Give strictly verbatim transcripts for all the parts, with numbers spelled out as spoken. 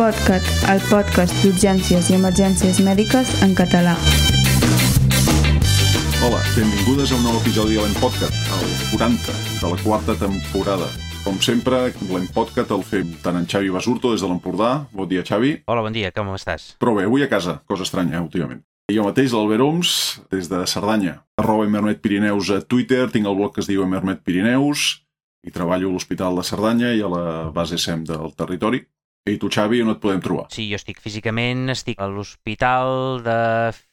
PodCat, el podcast d'urgències i emergències mèdiques en català. Hola, benvingudes a un nou episodi de l'Empodcat, el quaranta de la quarta temporada. Com sempre, l'Empodcat el fem tant en Xavi Basurto des de l'Empordà. Bon dia, Xavi. Hola, bon dia, com estàs? Però bé, avui a casa, cosa estranya, eh, últimament. I jo mateix, l'Albert Oms, des de Cerdanya. Arroba Emermet Pirineus a Twitter, tinc el blog que es diu Emermet Pirineus, i treballo a l'Hospital de Cerdanya i a la base S E M del territori. I tu, Xavi, on et podem trobar? Sí, jo estic físicament, estic a l'Hospital de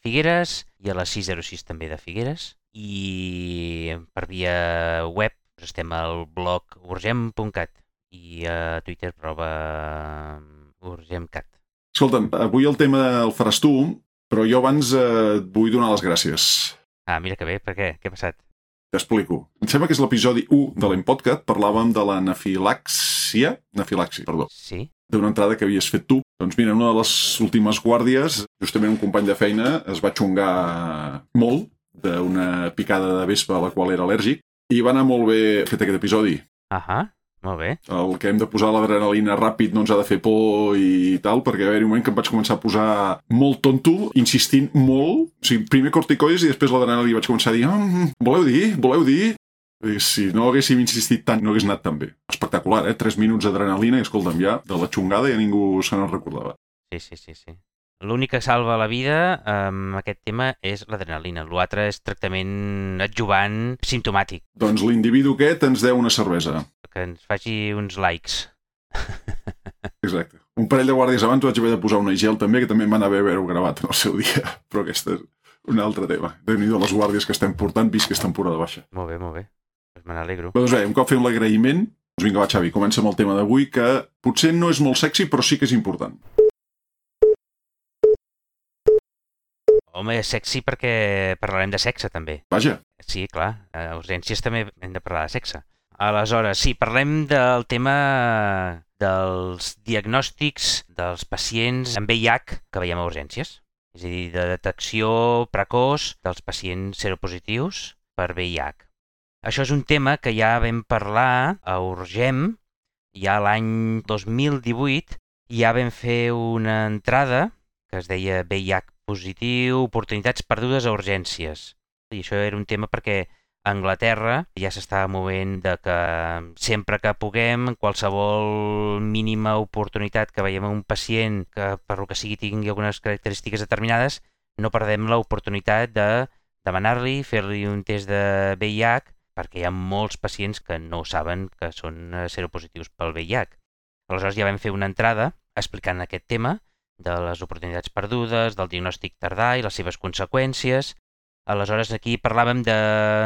Figueres i a la sis zero sis també de Figueres. I per via web estem al blog urgem punt cat i a Twitter prova urgemcat. Escolta'm, avui el tema el faràs tu, però jo abans eh, et vull donar les gràcies. Ah, mira que bé, per què? Què ha passat? T'explico. Em sembla que és l'episodi u de l'Empodcat, parlàvem de l'anafilàxia, anafilàxia, perdó, Sí? d'una entrada que havies fet tu. Doncs mira, en una de les últimes guàrdies, justament un company de feina es va xungar molt d'una picada de vespa a la qual era al·lèrgic i va anar molt bé fet aquest episodi. Ahà, molt bé. El que hem de posar l'adrenalina ràpid no ens ha de fer por i tal, perquè va haver-hi un moment que em vaig començar a posar molt tonto, insistint molt. O sigui, primer corticoides i després l'adrenalina i vaig començar a dir mm, voleu dir? Voleu dir? I si no haguéssim insistit tant, no hagués anat tan bé. Espectacular, eh? Tres minuts d'adrenalina i, escolta'm, ja, de la xungada ja ningú se n'en recordava. Sí, sí, sí, sí. L'únic que salva la vida amb aquest tema és l'adrenalina. L'altre és tractament adjuvant simptomàtic, Doncs l'individu aquest ens deu una cervesa. que ens faci uns likes. Exacte. Un parell de guàrdies abans vaig haver de posar una gel també, que també em van haver haver-ho gravat en el seu dia. Però aquest és un altre tema. Déu-n'hi-do les guàrdies que estem portant, vist que és temporada baixa. Molt bé, molt bé. Pues me n'alegro. Doncs bé, un cop fem l'agraïment, doncs vinga, va, Xavi, comença amb el tema d'avui, que potser no és molt sexy, però sí que és important. Home, és sexy perquè parlarem de sexe, també. Vaja, Sí, clar, a urgències també hem de parlar de sexe. Aleshores, sí, parlem del tema dels diagnòstics dels pacients amb V I H que veiem a urgències. És a dir, de detecció precoç dels pacients seropositius per V I H. Això és un tema que ja vam parlar a Urgem, ja l'any dos mil divuit, ja vam fer una entrada que es deia V I H positiu, oportunitats perdudes a urgències. I això era un tema perquè a Anglaterra ja s'estava movent de que sempre que puguem, qualsevol mínima oportunitat que veiem a un pacient que per lo que sigui tingui algunes característiques determinades, no perdem l'oportunitat de demanar-li, fer-li un test de V I H, perquè hi ha molts pacients que no saben que són seropositius pel V I H. Aleshores ja vam fer una entrada explicant aquest tema de les oportunitats perdudes, del diagnòstic tardà i les seves conseqüències. Aleshores aquí parlàvem de,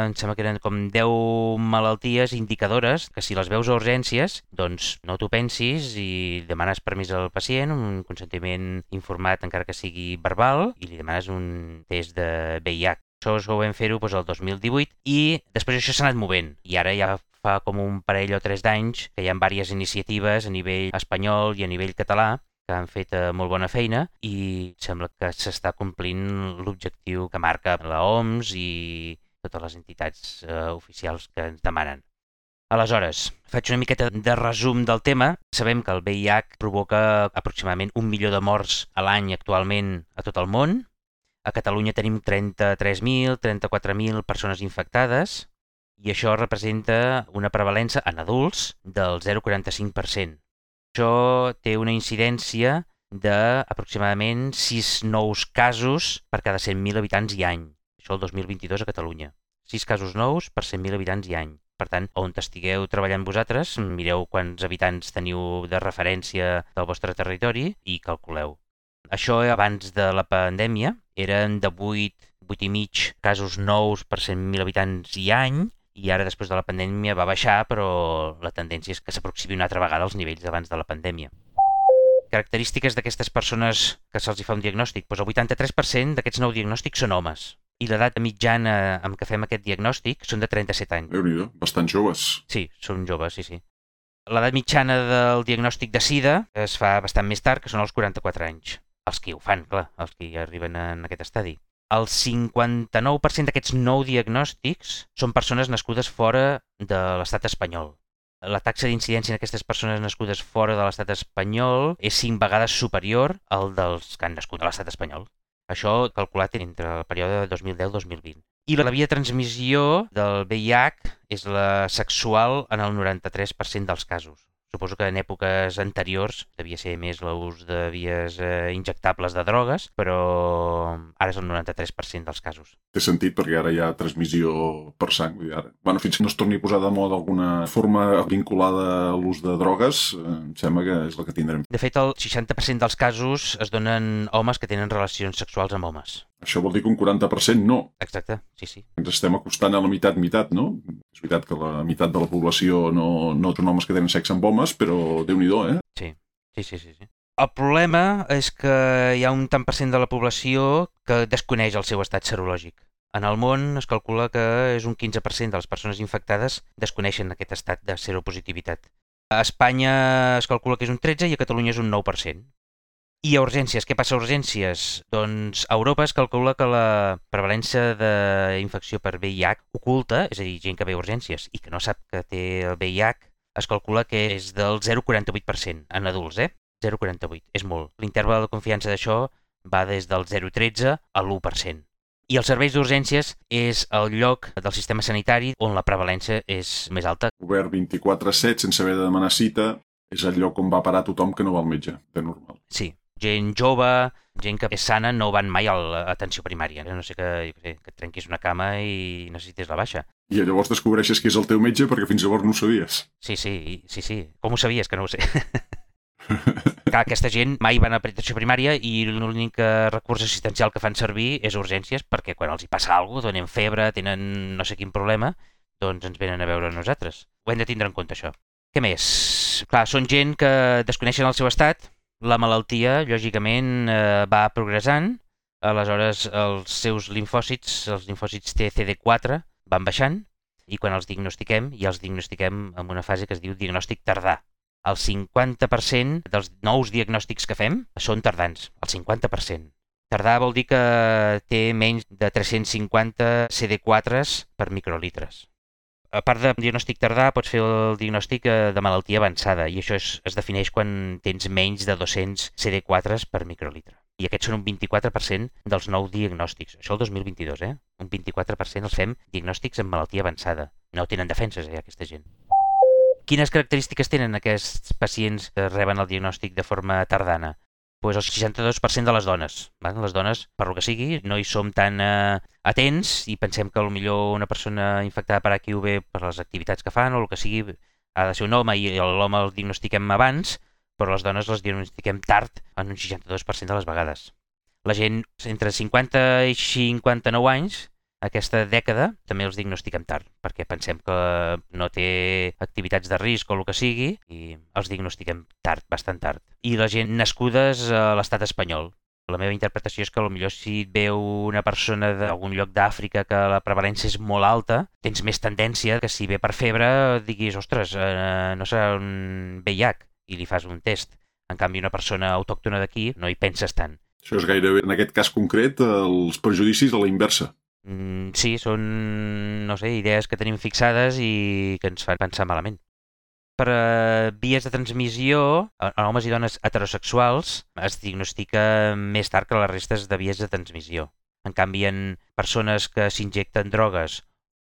em sembla que eren com deu malalties indicadores que si les veus a urgències, doncs no t'ho pensis i demanes permís al pacient, un consentiment informat encara que sigui verbal, i li demanes un test de V I H. Això ho vam fer-ho doncs, el dos mil divuit i després això s'ha anat movent i ara ja fa com un parell o tres d'anys que hi ha diverses iniciatives a nivell espanyol i a nivell català que han fet eh, molt bona feina i sembla que s'està complint l'objectiu que marca la O M S i totes les entitats eh, oficials que ens demanen. Aleshores, faig una miqueta de resum del tema. Sabem que el V I H provoca aproximadament un milió de morts a l'any actualment a tot el món. A Catalunya tenim trenta-tres mil, trenta-quatre mil persones infectades i això representa una prevalença en adults del zero coma quaranta-cinc per cent. Això té una incidència d'aproximadament sis nous casos per cada cent mil habitants i any. Això el dos mil vint-i-dos a Catalunya. sis casos nous per cent mil habitants i any. Per tant, on estigueu treballant vosaltres, mireu quants habitants teniu de referència del vostre territori i calculeu. Això abans de la pandèmia eren de vuit, vuit i mig casos nous per cent mil habitants i any i ara després de la pandèmia va baixar, però la tendència és que s'aproximi una altra vegada als nivells d'abans de la pandèmia. Característiques d'aquestes persones que se'ls fa un diagnòstic. Doncs el vuitanta-tres per cent d'aquests nous diagnòstics són homes. I l'edat mitjana amb què fem aquest diagnòstic són de trenta-set anys. Déu-n'hi-do, bastant joves. Sí, són joves, sí, sí. L'edat mitjana del diagnòstic de SIDA es fa bastant més tard, que són els quaranta-quatre anys. Els que ho fan, clar, els que arriben en aquest estadi. El cinquanta-nou per cent d'aquests nou diagnòstics són persones nascudes fora de l'estat espanyol. la taxa d'incidència en aquestes persones nascudes fora de l'estat espanyol és cinc vegades superior al dels que han nascut a l'estat espanyol. Això calculat entre el període de dos mil deu a dos mil vint. I la via de transmissió del V I H és la sexual en el noranta-tres per cent dels casos. Suposo que en èpoques anteriors devia ser més l'ús de vies eh, injectables de drogues, però ara és el noranta-tres per cent dels casos. Té sentit perquè ara hi ha transmissió per sang. Ara. Bueno, fins que no es torni a posar de moda alguna forma vinculada a l'ús de drogues, eh, em sembla que és la que tindrem. De fet, el seixanta per cent dels casos es donen homes que tenen relacions sexuals amb homes. Això vol dir que un quaranta per cent no. Exacte, sí, sí. Ens estem acostant a la meitat-meitat, no? És veritat que la meitat de la població no, no són homes que tenen sexe amb homes, però Déu-n'hi-do, eh? Sí, sí, sí, sí, sí. El problema és que hi ha un tant per cent de la població que desconeix el seu estat serològic. En el món es calcula que és un quinze per cent de les persones infectades desconeixen aquest estat de seropositivitat. A Espanya es calcula que és un tretze i a Catalunya és un nou per cent. I a urgències, què passa a urgències? Doncs a Europa es calcula que la prevalència d'infecció per V I H oculta, és a dir, gent que ve a urgències i que no sap que té el V I H, es calcula que és del zero coma quaranta-vuit per cent en adults, eh? zero coma quaranta-vuit, és molt. L'interval de confiança d'això va des del zero coma tretze a l'u per cent. I els serveis d'urgències és el lloc del sistema sanitari on la prevalència és més alta. Obert vint-i-quatre set sense haver de demanar cita, és el lloc on va parar tothom que no va al metge, de normal. Sí. Gent jove, gent que és sana, no van mai a l'atenció primària. No sé que, que et trenquis una cama i necessites la baixa. I llavors descobreixes que és el teu metge perquè fins llavors no ho sabies. Sí, sí, sí, sí. Com ho sabies, que no ho sé? Clar, aquesta gent mai van a atenció primària i l'únic recurs assistencial que fan servir és urgències perquè quan els hi passa alguna cosa, tenen febre, tenen no sé quin problema, doncs ens venen a veure a nosaltres. Ho hem de tindre en compte, això. Què més? Clar, són gent que desconeixen el seu estat. La malaltia, lògicament, eh, va progressant, aleshores els seus limfòcits, els limfòcits T C D quatre, van baixant i quan els diagnostiquem, ja els diagnostiquem en una fase que es diu diagnòstic tardà. El cinquanta per cent dels nous diagnòstics que fem són tardans, el cinquanta per cent. Tardà vol dir que té menys de tres-cents cinquanta C D quatre per microlitres. A part de diagnòstic tardà, pots fer el diagnòstic de malaltia avançada i això es, es defineix quan tens menys de dos-cents C D quatre per microlitre. I aquests són un vint-i-quatre per cent dels nous diagnòstics. Això el dos mil vint-i-dos, eh? Un vint-i-quatre per cent els fem diagnòstics amb malaltia avançada. No tenen defenses, eh, aquesta gent. Quines característiques tenen aquests pacients que reben el diagnòstic de forma tardana? Pues el seixanta-dos per cent de les dones. Va? Les dones, per lo que sigui, no hi som tan eh, atents i pensem que potser una persona infectada per H I V per les activitats que fan o el que sigui ha de ser un home i l'home el diagnostiquem abans, però les dones les diagnostiquem tard en un seixanta-dos per cent de les vegades. La gent entre cinquanta i cinquanta-nou anys, aquesta dècada, també els diagnostiquem tard, perquè pensem que no té activitats de risc o el que sigui i els diagnostiquem tard, bastant tard. I la gent nascudes a l'estat espanyol. La meva interpretació és que potser si et veu una persona d'algun lloc d'Àfrica que la prevalència és molt alta, tens més tendència que si ve per febre diguis, ostres, eh, no serà un V I H i li fas un test. En canvi, una persona autòctona d'aquí no hi penses tant. Això és gairebé, en aquest cas concret, els prejudicis a la inversa. Mm, sí, són, no sé, idees que tenim fixades i que ens fan pensar malament. Per uh, vies de transmissió, en homes i dones heterosexuals es diagnostica més tard que les restes de vies de transmissió. En canvi, en persones que s'injecten drogues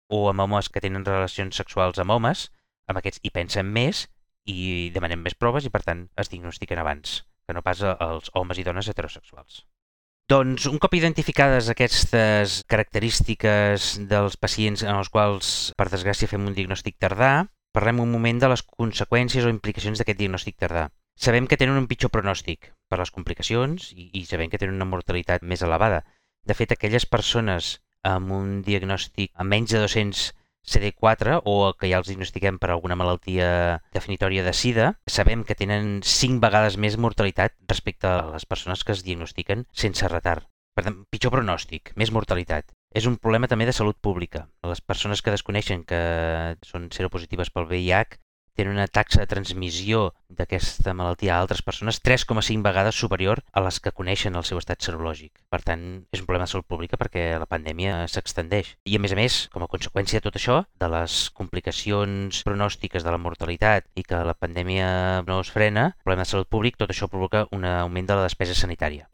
o amb homes que tenen relacions sexuals amb homes, amb aquests hi pensen més i demanem més proves i, per tant, es diagnostiquen abans que no pas als homes i dones heterosexuals. Doncs, un cop identificades aquestes característiques dels pacients en els quals, per desgràcia, fem un diagnòstic tardà, parlem un moment de les conseqüències o implicacions d'aquest diagnòstic tardà. Sabem que tenen un pitjor pronòstic per les complicacions i, i sabem que tenen una mortalitat més elevada. De fet, aquelles persones amb un diagnòstic amb menys de dos-cents C D quatre o que ja els diagnostiquem per alguna malaltia definitòria de SIDA, sabem que tenen cinc vegades més mortalitat respecte a les persones que es diagnostiquen sense retard. Per tant, pitjor pronòstic, més mortalitat. És un problema també de salut pública. Les persones que desconeixen que són seropositives pel V I H tenen una taxa de transmissió d'aquesta malaltia a altres persones tres coma cinc vegades superior a les que coneixen el seu estat serològic. Per tant, és un problema de salut pública perquè la pandèmia s'extendeix. I a més a més, com a conseqüència de tot això, de les complicacions pronòstiques de la mortalitat i que la pandèmia no es frena, el problema de salut públic, tot això provoca un augment de la despesa sanitària.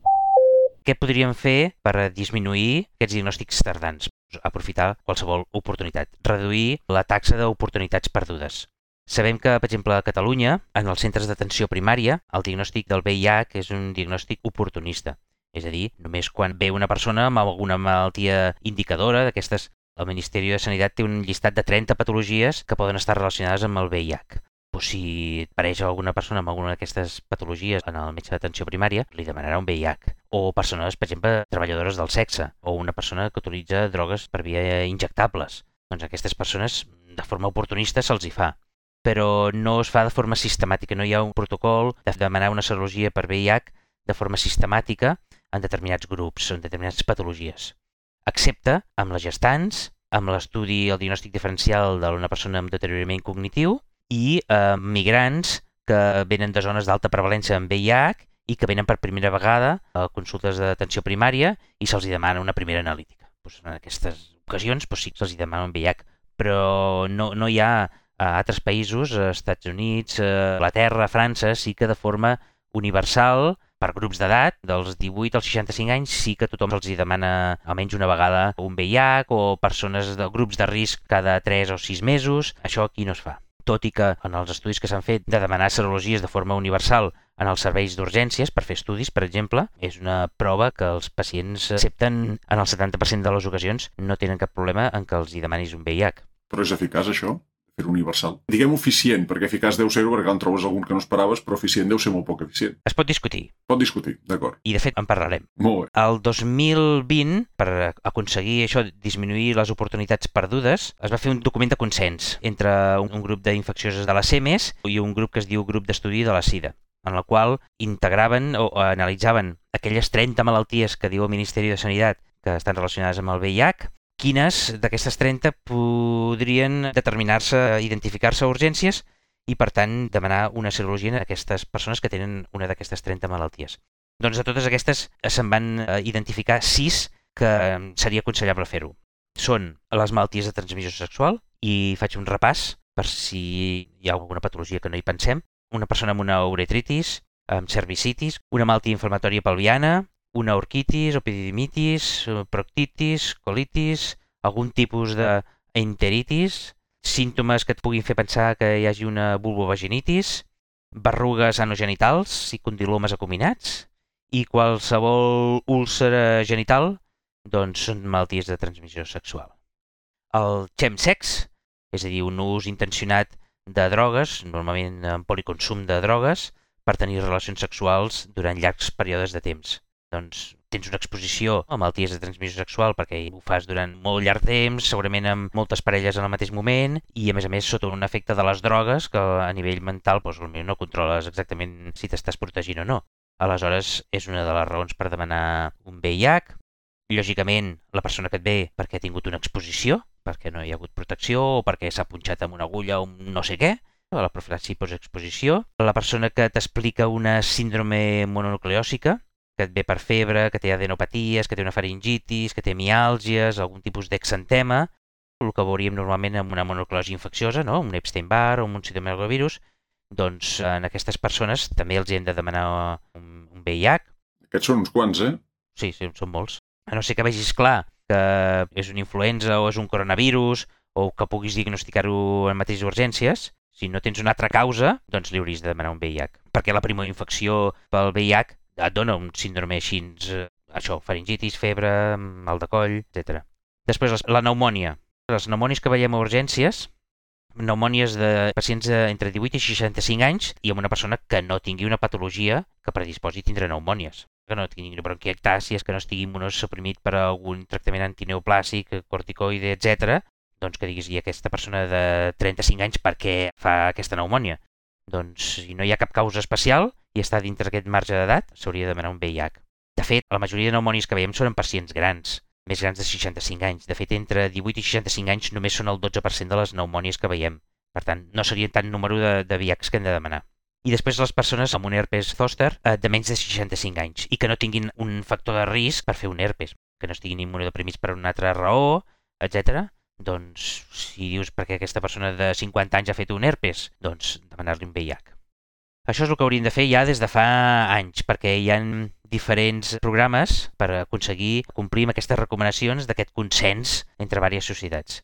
Què podríem fer per disminuir aquests diagnòstics tardans? Aprofitar qualsevol oportunitat. Reduir la taxa d'oportunitats perdudes. Sabem que, per exemple, a Catalunya, en els centres d'atenció primària, el diagnòstic del V I H és un diagnòstic oportunista. És a dir, només quan ve una persona amb alguna malaltia indicadora d'aquestes, el Ministeri de Sanitat té un llistat de trenta patologies que poden estar relacionades amb el V I H. Pues si apareix alguna persona amb alguna d'aquestes patologies en el metge d'atenció primària, li demanarà un V I H. O persones, per exemple, treballadores del sexe, o una persona que utilitza drogues per via injectables. Doncs a aquestes persones, de forma oportunista, se'ls hi fa. Però no es fa de forma sistemàtica, no hi ha un protocol de demanar una serologia per V I H de forma sistemàtica en determinats grups, en determinades patologies. Excepte amb les gestants, amb l'estudi, el diagnòstic diferencial d'una persona amb deteriorament cognitiu, i eh, migrants que venen de zones d'alta prevalència en V I H i que venen per primera vegada a consultes d'atenció primària i se'ls demana una primera analítica. Pues en aquestes ocasions pues sí que se'ls demana un V I H, però no, no hi ha a altres països, a Estats Units, a Anglaterra, a França, sí que de forma universal, per grups d'edat, dels divuit als seixanta-cinc anys, sí que tothom se'ls demana almenys una vegada un V I H o persones de grups de risc cada tres o sis mesos. Això aquí no es fa. Tot i que en els estudis que s'han fet de demanar serologies de forma universal en els serveis d'urgències per fer estudis, per exemple, és una prova que els pacients accepten en el setanta per cent de les ocasions, no tenen cap problema en que els hi demanis un V I H. Però és eficaç, això? Fer universal. Diguem eficient, perquè eficaç deu ser-ho perquè en trobes algun que no esperaves, però eficient deu ser molt poc eficient. Es pot discutir. Pot discutir, d'acord. I de fet en parlarem. Molt bé. El dos mil vint, per aconseguir això, disminuir les oportunitats perdudes, es va fer un document de consens entre un, un grup d'infeccioses de la C E M E S i un grup que es diu Grup d'Estudi de la SIDA, en la qual integraven o analitzaven aquelles trenta malalties que diu el Ministeri de Sanitat que estan relacionades amb el V I H. Quines d'aquestes trenta podrien determinar-se, identificar-se a urgències i, per tant, demanar una serologia a aquestes persones que tenen una d'aquestes trenta malalties. Doncs de totes aquestes se'n van identificar sis que seria aconsellable fer-ho. Són les malalties de transmissió sexual, i faig un repàs per si hi ha alguna patologia que no hi pensem. Una persona amb una uretritis, amb cervicitis, una malaltia inflamatòria pelviana, una orquitis, epididimitis, proctitis, colitis, algun tipus d'enteritis, símptomes que et puguin fer pensar que hi hagi una vulvovaginitis, berrugues anogenitals i condilomes acuminats, i qualsevol úlcera genital, doncs són malalties de transmissió sexual. El chemsex, és a dir, un ús intencionat de drogues, normalment en policonsum de drogues, per tenir relacions sexuals durant llargs períodes de temps. Doncs tens una exposició a malalties de transmissió sexual perquè ho fas durant molt llarg temps, segurament amb moltes parelles en el mateix moment, i a més a més sota un efecte de les drogues que a nivell mental doncs, no controles exactament si t'estàs protegint o no. Aleshores, és una de les raons per demanar un V I H. Lògicament, la persona que et ve perquè ha tingut una exposició, perquè no hi ha hagut protecció o perquè s'ha punxat amb una agulla o un no sé què, la profilaxi postexposició. La persona que t'explica una síndrome mononucleòsica, que et ve per febre, que té adenopaties, que té una faringitis, que té miàlgies, algun tipus d'exantema, el que veuríem normalment amb una mononucleosi infecciosa, no? Un Epstein-Barr o un cytomegalovirus, doncs en aquestes persones també els hem de demanar un, un V I H. Aquests són uns quants, eh? Sí, sí, són molts. A no ser que vegis clar que és una influenza o és un coronavirus o que puguis diagnosticar-ho en mateixes urgències, si no tens una altra causa, doncs li hauries de demanar un V I H. Perquè la primera infecció pel V I H et dona un síndrome així, això, faringitis, febre, mal de coll, etcètera. Després, la pneumònia. Les pneumònies que veiem a urgències, pneumònies de pacients entre divuit i seixanta-cinc anys i amb una persona que no tingui una patologia que predisposi a tindre pneumònies. Que no tingui bronquiectàcies, que no estigui immunosuprimit per algun tractament antineoplàsic, corticoide, etcètera, doncs que diguis, i aquesta persona de trenta-cinc anys per què fa aquesta pneumònia? Doncs si no hi ha cap causa especial i està dintre aquest marge d'edat, s'hauria de demanar un V I H. De fet, la majoria de pneumònies que veiem són en pacients grans, més grans de seixanta-cinc anys. De fet, entre divuit i seixanta-cinc anys només són el dotze per cent de les pneumònies que veiem. Per tant, no seria tant número de, de V I H que hem de demanar. I després les persones amb un herpes zòster eh, de menys de seixanta-cinc anys i que no tinguin un factor de risc per fer un herpes, que no estiguin immunodeprimits per una altra raó, etcètera. Doncs si dius perquè aquesta persona de cinquanta anys ha fet un herpes, doncs demanar-li un V I H. Això és el que hauríem de fer ja des de fa anys, perquè hi ha diferents programes per aconseguir complir amb aquestes recomanacions d'aquest consens entre diverses societats.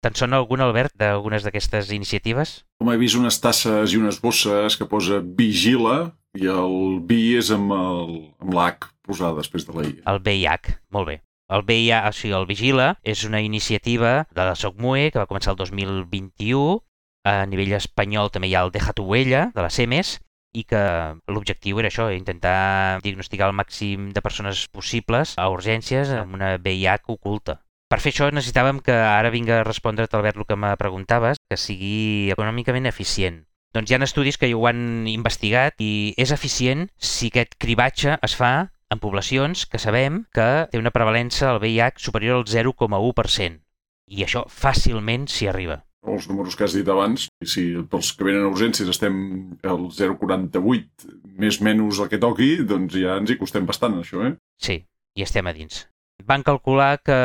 Te'n sona algun, Albert, d'algunes d'aquestes iniciatives? Com he vist unes tasses i unes bosses que posa Vigila i el V és amb el, amb l'H posada després de la I. El V I H, molt bé. El V I H, o sigui, el Vigila, és una iniciativa de la SOCMUE que va començar el dos mil vint-i-u. A nivell espanyol també hi ha el Deja tu huella, de la SEMES, i que l'objectiu era això, intentar diagnosticar el màxim de persones possibles a urgències amb una V I H oculta. Per fer això necessitàvem que ara vinga a respondre't, Albert, el que me preguntaves, que sigui econòmicament eficient. Doncs hi ha estudis que ho han investigat i és eficient si aquest cribatge es fa en poblacions que sabem que té una prevalença al V I H superior al zero coma u per cent. I això fàcilment s'hi arriba. Els números que has dit abans, i si pels que venen a urgències estem al zero coma quaranta-vuit, més menys el que toqui, doncs ja ens hi costem bastant, això, eh? Sí, i estem a dins. Van calcular que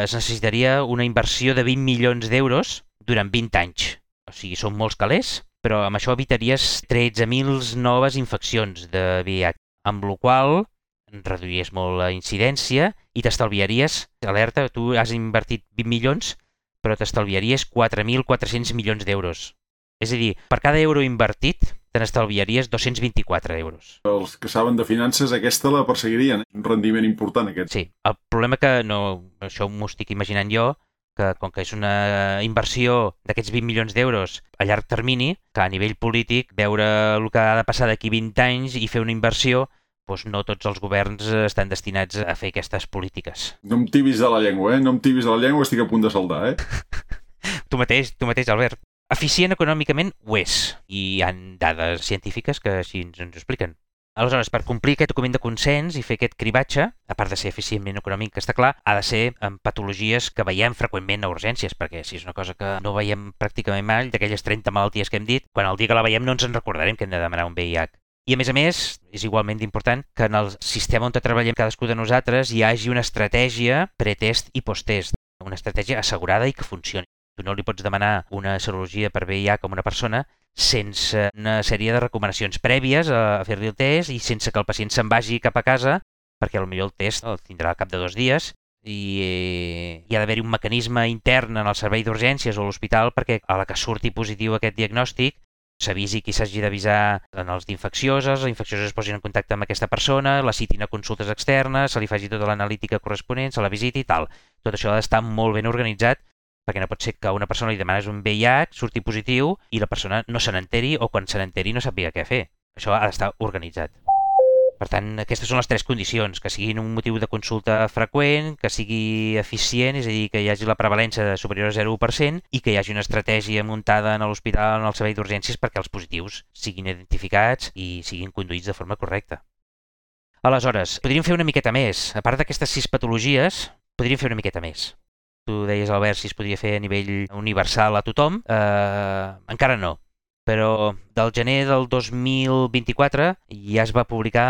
es necessitaria una inversió de vint milions d'euros durant vint anys. O sigui, són molts calés, però amb això evitaries tretze mil noves infeccions de V I H, amb la qual reduiries molt la incidència i t'estalviaries, alerta, tu has invertit vint milions, però t'estalviaries quatre mil quatre-cents milions d'euros. És a dir, per cada euro invertit, te n'estalviaries dos-cents vint-i-quatre euros. Els que saben de finances, aquesta la perseguirien. Un rendiment important, aquest. Sí, el problema que no, això m'ho estic imaginant jo, que com que és una inversió d'aquests vint milions d'euros a llarg termini, que a nivell polític, veure el que ha de passar d'aquí vint anys i fer una inversió, doncs no tots els governs estan destinats a fer aquestes polítiques. No em tibis de la llengua, eh? No em tibis de la llengua, estic a punt de saldar, eh? Tu mateix, tu mateix, Albert. Eficient econòmicament ho és, i hi ha dades científiques que així ens ho expliquen. Aleshores, per complir aquest document de consens i fer aquest cribatge, a part de ser eficientment econòmic, que està clar, ha de ser en patologies que veiem freqüentment a urgències, perquè si és una cosa que no veiem pràcticament mai, d'aquelles trenta malalties que hem dit, quan el dia que la veiem no ens en recordarem que hem de demanar un V I H. I a més a més, és igualment important que en el sistema on treballem cadascú de nosaltres hi hagi una estratègia pretest i posttest, una estratègia assegurada i que funcioni. Tu no li pots demanar una serologia per V I H a una persona sense una sèrie de recomanacions prèvies a fer-li el test i sense que el pacient se'n vagi cap a casa, perquè potser el test el tindrà al cap de dos dies i hi ha d'haver-hi un mecanisme intern en el servei d'urgències o a l'hospital perquè a la que surti positiu aquest diagnòstic s'avisi qui s'hagi d'avisar en els d'infeccioses, els infeccioses es posin en contacte amb aquesta persona, la citin a consultes externes, se li faci tota l'analítica corresponent, se la visiti i tal. Tot això ha d'estar molt ben organitzat perquè no pot ser que a una persona li demanes un V I H, surti positiu i la persona no se n'enteri o quan se n'enteri no sàpiga què fer. Això ha d'estar organitzat. Per tant, aquestes són les tres condicions, que siguin un motiu de consulta freqüent, que sigui eficient, és a dir, que hi hagi la prevalència superior a zero coma u per cent i que hi hagi una estratègia muntada en l'hospital, en el servei d'urgències, perquè els positius siguin identificats i siguin conduïts de forma correcta. Aleshores, podríem fer una miqueta més. A part d'aquestes sis patologies, podríem fer una miqueta més. Tu deies, Albert, si es podia fer a nivell universal a tothom. Eh, encara no. Però del gener del dos mil vint-i-quatre ja es va publicar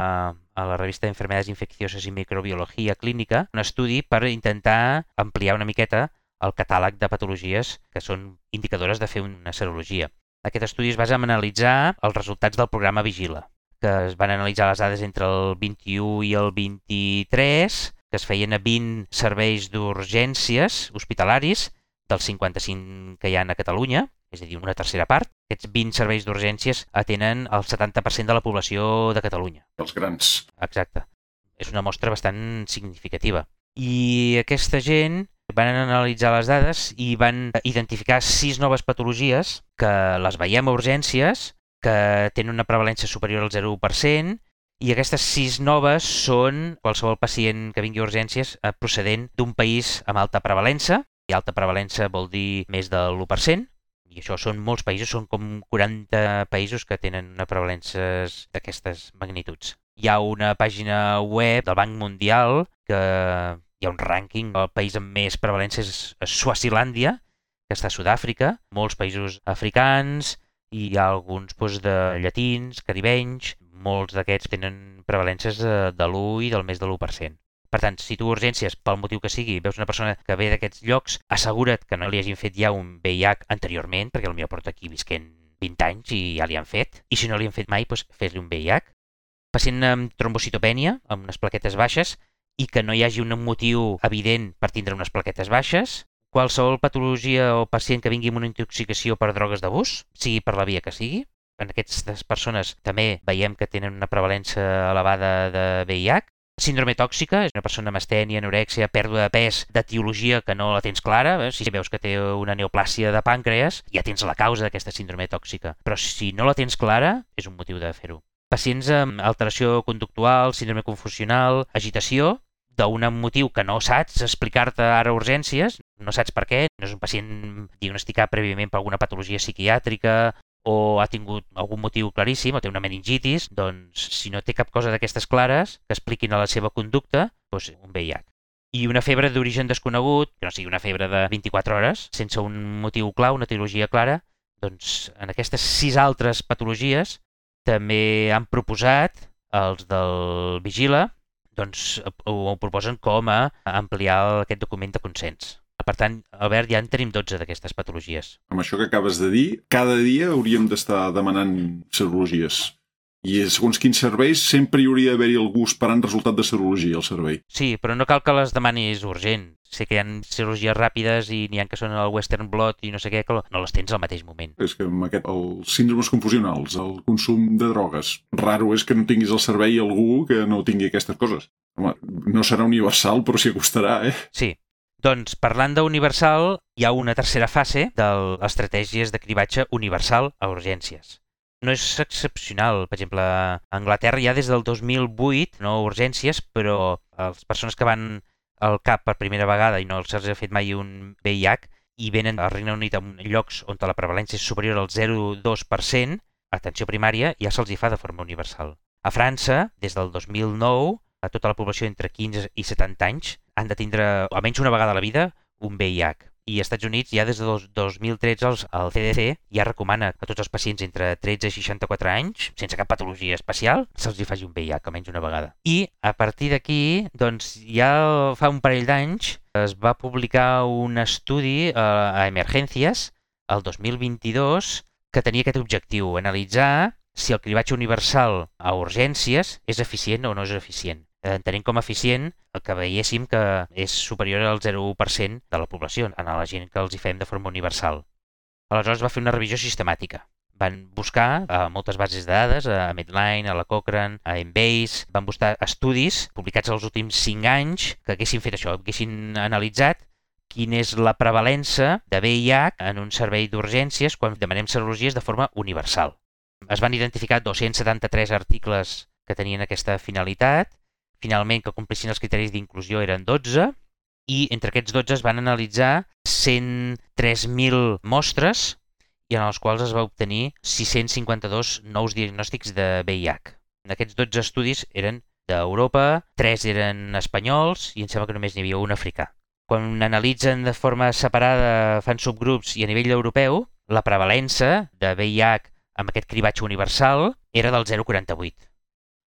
a la revista Enfermedades Infeccioses i Microbiologia Clínica un estudi per intentar ampliar una miqueta el catàleg de patologies que són indicadores de fer una serologia. Aquest estudi es basa en analitzar els resultats del programa Vigila, que es van analitzar les dades entre el vint-i-u i el vint-i-tres, que es feien a vint serveis d'urgències hospitalaris dels cinquanta-cinc que hi ha a Catalunya, és a dir, una tercera part. Aquests vint serveis d'urgències atenen el setanta per cent de la població de Catalunya. Els grans. Exacte. És una mostra bastant significativa. I aquesta gent van analitzar les dades i van identificar sis noves patologies que les veiem a urgències, que tenen una prevalència superior al zero coma u per cent, i aquestes sis noves són qualsevol pacient que vingui a urgències procedent d'un país amb alta prevalença, i alta prevalença vol dir més de l'u per cent, i això són molts països, són com quaranta països que tenen una prevalència d'aquestes magnituds. Hi ha una pàgina web del Banc Mundial que hi ha un rànquing, el país amb més prevalència és Suazilàndia, que està a Sud-àfrica, molts països africans, i hi ha alguns doncs, de llatins, caribenys, molts d'aquests tenen prevalències de l'u i del més de l'u per cent. Per tant, si tu urgències, pel motiu que sigui, veus una persona que ve d'aquests llocs, assegura't que no li hagin fet ja un V I H anteriorment, perquè potser porta aquí visquent vint anys i ja li han fet, i si no li han fet mai, doncs fes-li un V I H. Pacient amb trombocitopènia, amb unes plaquetes baixes, i que no hi hagi un motiu evident per tindre unes plaquetes baixes, qualsevol patologia o pacient que vingui amb una intoxicació per drogues d'abús, sigui per la via que sigui. En aquestes persones també veiem que tenen una prevalència elevada de V I H. Síndrome tòxica, és una persona amb astènia, anorèxia, pèrdua de pes, d'etiologia que no la tens clara. Si veus que té una neoplàsia de pàncreas, ja tens la causa d'aquesta síndrome tòxica. Però si no la tens clara, és un motiu de fer-ho. Pacients amb alteració conductual, síndrome confusional, agitació, d'un motiu que no saps explicar-te ara a urgències, no saps per què, no és un pacient diagnosticat prèviament per alguna patologia psiquiàtrica o ha tingut algun motiu claríssim o té una meningitis, doncs si no té cap cosa d'aquestes clares que expliquin a la seva conducta, doncs un V I H. I una febre d'origen desconegut, que no sigui una febre de vint-i-quatre hores, sense un motiu clar, una etiologia clara, doncs en aquestes sis altres patologies també han proposat, els del Vigila, doncs ho proposen com a ampliar aquest document de consens. Per tant, Albert, ja en tenim dotze d'aquestes patologies. Amb això que acabes de dir, cada dia hauríem d'estar demanant serologies. I segons quins serveis sempre hi hauria d'haver-hi algú esperant resultat de serologia al servei. Sí, però no cal que les demanis urgent. Sé que hi ha serologies ràpides i n'hi ha que són el Western Blot i no sé què, que no les tens al mateix moment. És que amb aquest, els síndromes confusionals, el consum de drogues, raro és que no tinguis al servei algú que no tingui aquestes coses. Home, no serà universal, però s'hi acostarà, eh? Sí. Doncs, parlant d'universal, hi ha una tercera fase de les estratègies de cribatge universal a urgències. No és excepcional. Per exemple, a Anglaterra ja des del dos mil vuit, no urgències, però les persones que van al C A P per primera vegada i no se'ls ha fet mai un V I H i venen al Regne Unit en llocs on la prevalència és superior al zero coma dos per cent, atenció primària, ja se'ls hi fa de forma universal. A França, des del dos mil nou, a tota la població entre quinze i setanta anys han de tindre, almenys una vegada a la vida, un V I H. I als Estats Units, ja des del dos mil tretze, el C D C ja recomana a tots els pacients entre tretze i seixanta-quatre anys, sense cap patologia especial, se'ls hi faci un V I H, almenys una vegada. I a partir d'aquí, doncs, ja fa un parell d'anys, es va publicar un estudi a Emergències, el dos mil vint-i-dos, que tenia aquest objectiu, analitzar si el cribatge universal a urgències és eficient o no és eficient. Entenem com a eficient el que veiéssim que és superior al zero coma u per cent de la població, en la gent que els hi fem de forma universal. Aleshores va fer una revisió sistemàtica. Van buscar a moltes bases de dades, a Medline, a la Cochrane, a Embase, van buscar estudis publicats els últims cinc anys que haguessin fet això, haguessin analitzat quina és la prevalença de V I H en un servei d'urgències quan demanem serologies de forma universal. Es van identificar dos-cents setanta-tres articles que tenien aquesta finalitat. Finalment, que complissin els criteris d'inclusió eren dotze, i entre aquests dotze es van analitzar cent tres mil mostres i en els quals es va obtenir sis-cents cinquanta-dos nous diagnòstics de V I H. Aquests dotze estudis eren d'Europa, tres eren espanyols i em sembla que només n'hi havia un africà. Quan analitzen de forma separada, fan subgrups i a nivell europeu, la prevalença de V I H amb aquest cribatge universal era del zero coma quaranta-vuit.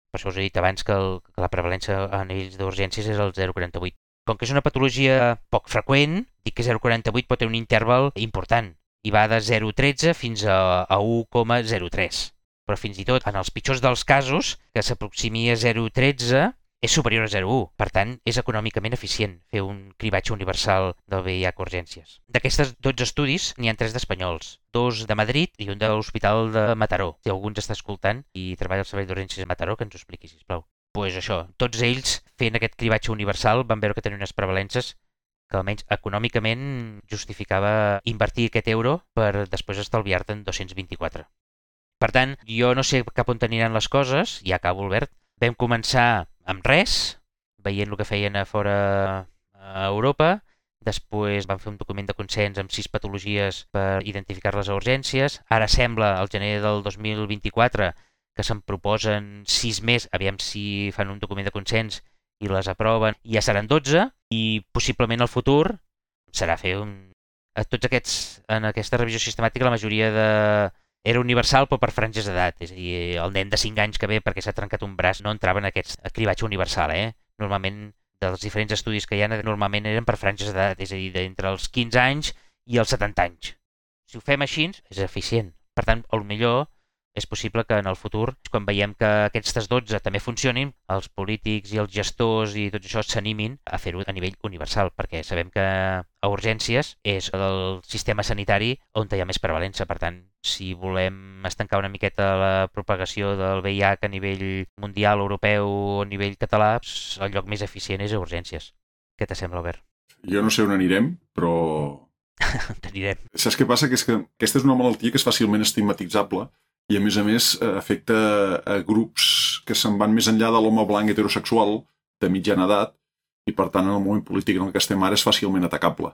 Per això us he dit abans que, el, que la prevalència a nivells d'urgències és el zero coma quaranta-vuit. Com que és una patologia poc freqüent, dic que zero coma quaranta-vuit pot tenir un interval important i va de zero coma tretze fins a, a u coma zero tres. Però fins i tot en els pitjors dels casos, que s'aproximi a zero coma tretze, és superior a zero coma u. Per tant, és econòmicament eficient fer un cribatge universal del V I H a urgències. D'aquestes dotze estudis, n'hi ha tres d'espanyols, dos de Madrid i un de l'Hospital de Mataró. Si algú ens està escoltant i treballa al servei d'urgències de Mataró, que ens ho expliqui, sisplau. Doncs pues això, tots ells fent aquest cribatge universal van veure que tenien unes prevalences que almenys econòmicament justificava invertir aquest euro per després estalviar-te'n dos-cents vint-i-quatre. Per tant, jo no sé cap on aniran les coses, i acabo, Albert. Vam començar amb res, veient el que feien a fora a Europa. Després van fer un document de consens amb sis patologies per identificar-les a urgències. Ara sembla, al gener del dos mil vint-i-quatre, que se'n proposen sis més, aviam si fan un document de consens i les aproven. I ja seran dotze, i possiblement el futur serà fer un, a tots aquests, en aquesta revisió sistemàtica, la majoria de... era universal, però per franges d'edat. És a dir, el nen de cinc anys que ve perquè s'ha trencat un braç no entrava en aquest cribatge universal, eh? Normalment, dels diferents estudis que hi ha, normalment eren per franges d'edat, és a dir, d'entre els quinze anys i els setanta anys. Si ho fem així, és eficient. Per tant, potser és possible que en el futur, quan veiem que aquestes dotze també funcionin, els polítics i els gestors i tot això s'animin a fer-ho a nivell universal, perquè sabem que a urgències és el sistema sanitari on hi ha més prevalença. Per tant, si volem estancar una miqueta la propagació del V I H a nivell mundial, europeu o a nivell català, el lloc més eficient és a urgències. Què t'assembla, Albert? Jo no sé on anirem, però... T'anirem. Saps què passa? Que és que aquesta és una malaltia que és fàcilment estigmatitzable i, a més a més, afecta a grups que se'n van més enllà de l'home blanc heterosexual de mitjana edat i, per tant, en el moment polític en el que estem ara és fàcilment atacable.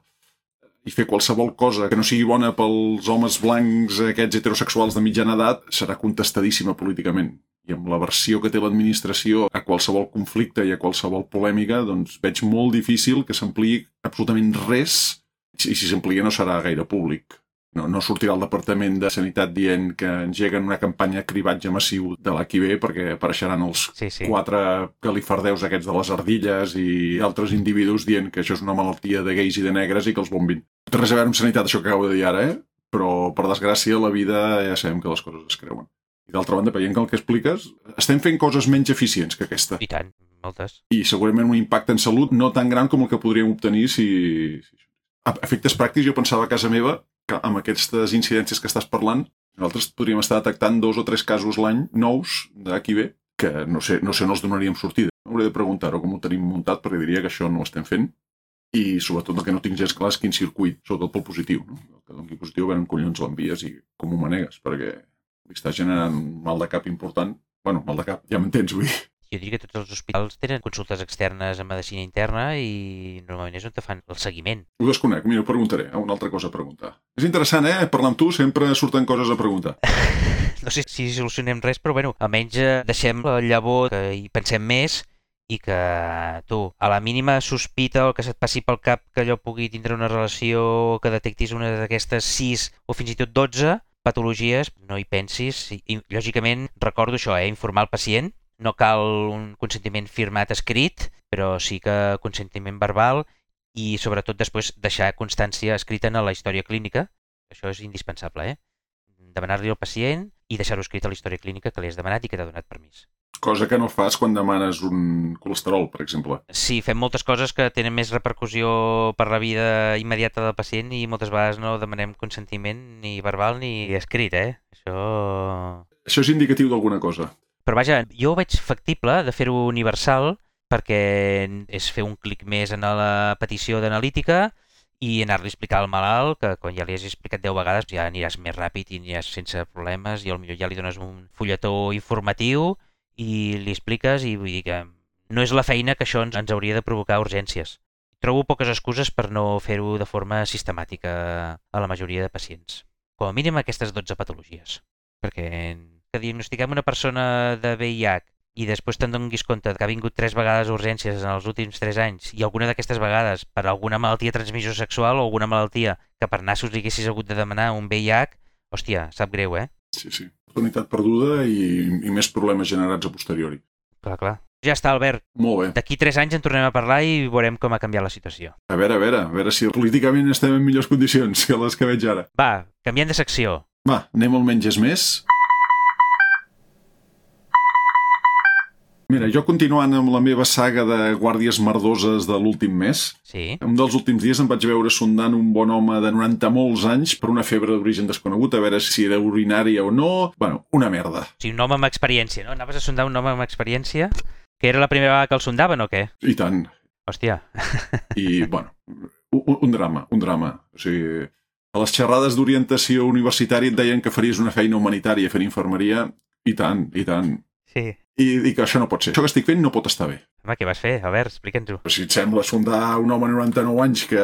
I fer qualsevol cosa que no sigui bona pels homes blancs aquests heterosexuals de mitjana edat serà contestadíssima políticament. I amb la versió que té l'administració a qualsevol conflicte i a qualsevol polèmica, doncs veig molt difícil que s'ampliï absolutament res, i si s'amplia no serà gaire públic. No, no sortirà el Departament de Sanitat dient que engeguen una campanya de cribatge massiu de l'H I V perquè apareixeran els sí, sí. quatre galifardeus aquests de les ardilles i altres individus dient que això és una malaltia de gais i de negres i que els bombin. Té res a veure amb sanitat, això que acabo de dir ara, eh? Però, per desgràcia, la vida ja sabem que les coses es creuen. I d'altra banda, veient que el que expliques, estem fent coses menys eficients que aquesta. I tant, moltes. I segurament un impacte en salut no tan gran com el que podríem obtenir si... A efectes pràctics, jo pensava a casa meva que amb aquestes incidències que estàs parlant, nosaltres podríem estar detectant dos o tres casos l'any nous d'H I V que no sé, no sé on els donaríem sortida. Hauré de preguntar-ho com ho tenim muntat, perquè diria que això no ho estem fent. I sobretot el que no tinc gens clar és quin circuit, sobretot pel positiu. No? El que doni positiu, veure en collons l'envies i com ho manegues, perquè li està generant un mal de cap important. Bueno, mal de cap, ja m'entens, vull dir. Jo diria que tots els hospitals tenen consultes externes en medicina interna i normalment és on te fan el seguiment. Ho desconec, mira, ho preguntaré. Una altra cosa a preguntar. És interessant, eh? Parlar amb tu sempre surten coses a preguntar. No sé si solucionem res, però bueno, almenys deixem la llavor que hi pensem més i que tu, a la mínima sospita o que se't passi pel cap que allò pugui tindre una relació, que detectis una d'aquestes sis o fins i tot dotze patologies, no hi pensis. I, i lògicament, recordo això, eh? Informar el pacient. No cal un consentiment firmat escrit, però sí que consentiment verbal i sobretot després deixar constància escrita en la història clínica. Això és indispensable, eh? Demanar-li al pacient i deixar-ho escrit a la història clínica que li has demanat i que t'ha donat permís. Cosa que no fas quan demanes un colesterol, per exemple. Sí, fem moltes coses que tenen més repercussió per la vida immediata del pacient i moltes vegades no demanem consentiment ni verbal ni escrit, eh? Això... Això és indicatiu d'alguna cosa. Però vaja, jo ho veig factible de fer-ho universal perquè és fer un clic més en la petició d'analítica i anar-li a explicar al malalt que quan ja li has explicat deu vegades ja aniràs més ràpid i aniràs sense problemes i potser ja li dones un fulletó informatiu i li expliques i vull dir que no és la feina que això ens, ens hauria de provocar urgències. Trobo poques excuses per no fer-ho de forma sistemàtica a la majoria de pacients. Com a mínim aquestes dotze patologies. Perquè que diagnostiquem una persona de V I H i després te'n donis compte que ha vingut tres vegades a urgències en els últims tres anys i alguna d'aquestes vegades per alguna malaltia de transmissió sexual o alguna malaltia que per nassos li haguessis hagut de demanar un V I H, hòstia, sap greu, eh? Sí, sí. Unitat perduda i, i més problemes generats a posteriori. Clar, clar. Ja està, Albert. Molt bé. D'aquí tres anys en tornem a parlar i veurem com ha canviat la situació. A veure, a veure, a veure si políticament estem en millors condicions que les que veig ara. Va, canviem de secció. Va, anem al menys és més. Mira, jo continuant amb la meva saga de guàrdies merdoses de l'últim mes, sí. Un dels últims dies em vaig veure sondant un bon home de noranta molts anys per una febre d'origen desconegut, a veure si era urinària o no. Bueno, una merda. O sigui, un home amb experiència, no? Anaves a sondar un home amb experiència? Que era la primera vegada que el sondaven o què? I tant. Hòstia. I, bueno, un, un drama, un drama. O sigui, a les xerrades d'orientació universitària et deien que faries una feina humanitària fent infermeria, i tant, i tant. Sí. I, i que això no pot ser. Això que estic fent no pot estar bé. Home, què vas fer? A veure, explica'ns-ho. Si et sembla sondar un home de noranta-nou anys que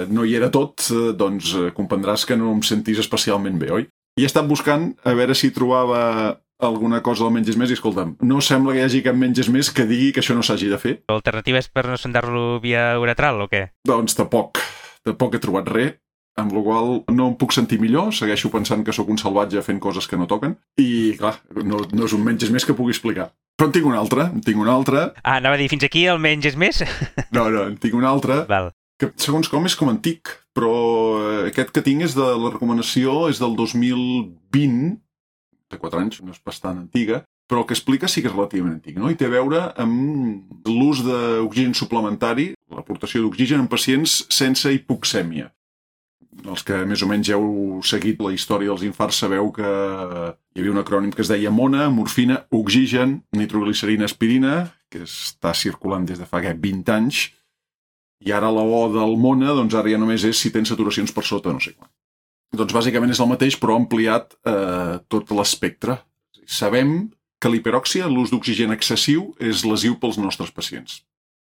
no hi era tot, doncs comprendràs que no em sentís especialment bé, oi? I he estat buscant a veure si trobava alguna cosa del menys és més i, escolta'm, no sembla que hi hagi cap menys és més que digui que això no s'hagi de fer. L'alternativa és per no sondar-lo via uretral o què? Doncs tampoc. Tampoc he trobat res. amb la qual no em puc sentir millor, segueixo pensant que sóc un salvatge fent coses que no toquen, i clar, no, no és un menys més que pugui explicar. Però en tinc una altra, en tinc una altra... Ah, anava a dir, fins aquí el menys és més? No, no, en tinc una altra, Val. que segons com és com antic, però aquest que tinc és de la recomanació, és del dos mil vint, de quatre anys, no és bastant antiga, però el que explica sí que és relativament antic, no? I té a veure amb l'ús d'oxigen suplementari, l'aportació d'oxigen en pacients sense hipoxèmia. Els que més o menys heu seguit la història dels infarts sabeu que hi havia un acrònim que es deia MONA, morfina, oxigen, nitroglicerina, aspirina, que està circulant des de fa vint anys, i ara la O del MONA, doncs ara ja només és si tens saturacions per sota, no sé quan. Doncs bàsicament és el mateix, però ampliat eh, tot l'espectre. Sabem que l'hiperòxia, l'ús d'oxigen excessiu, és lesiu pels nostres pacients.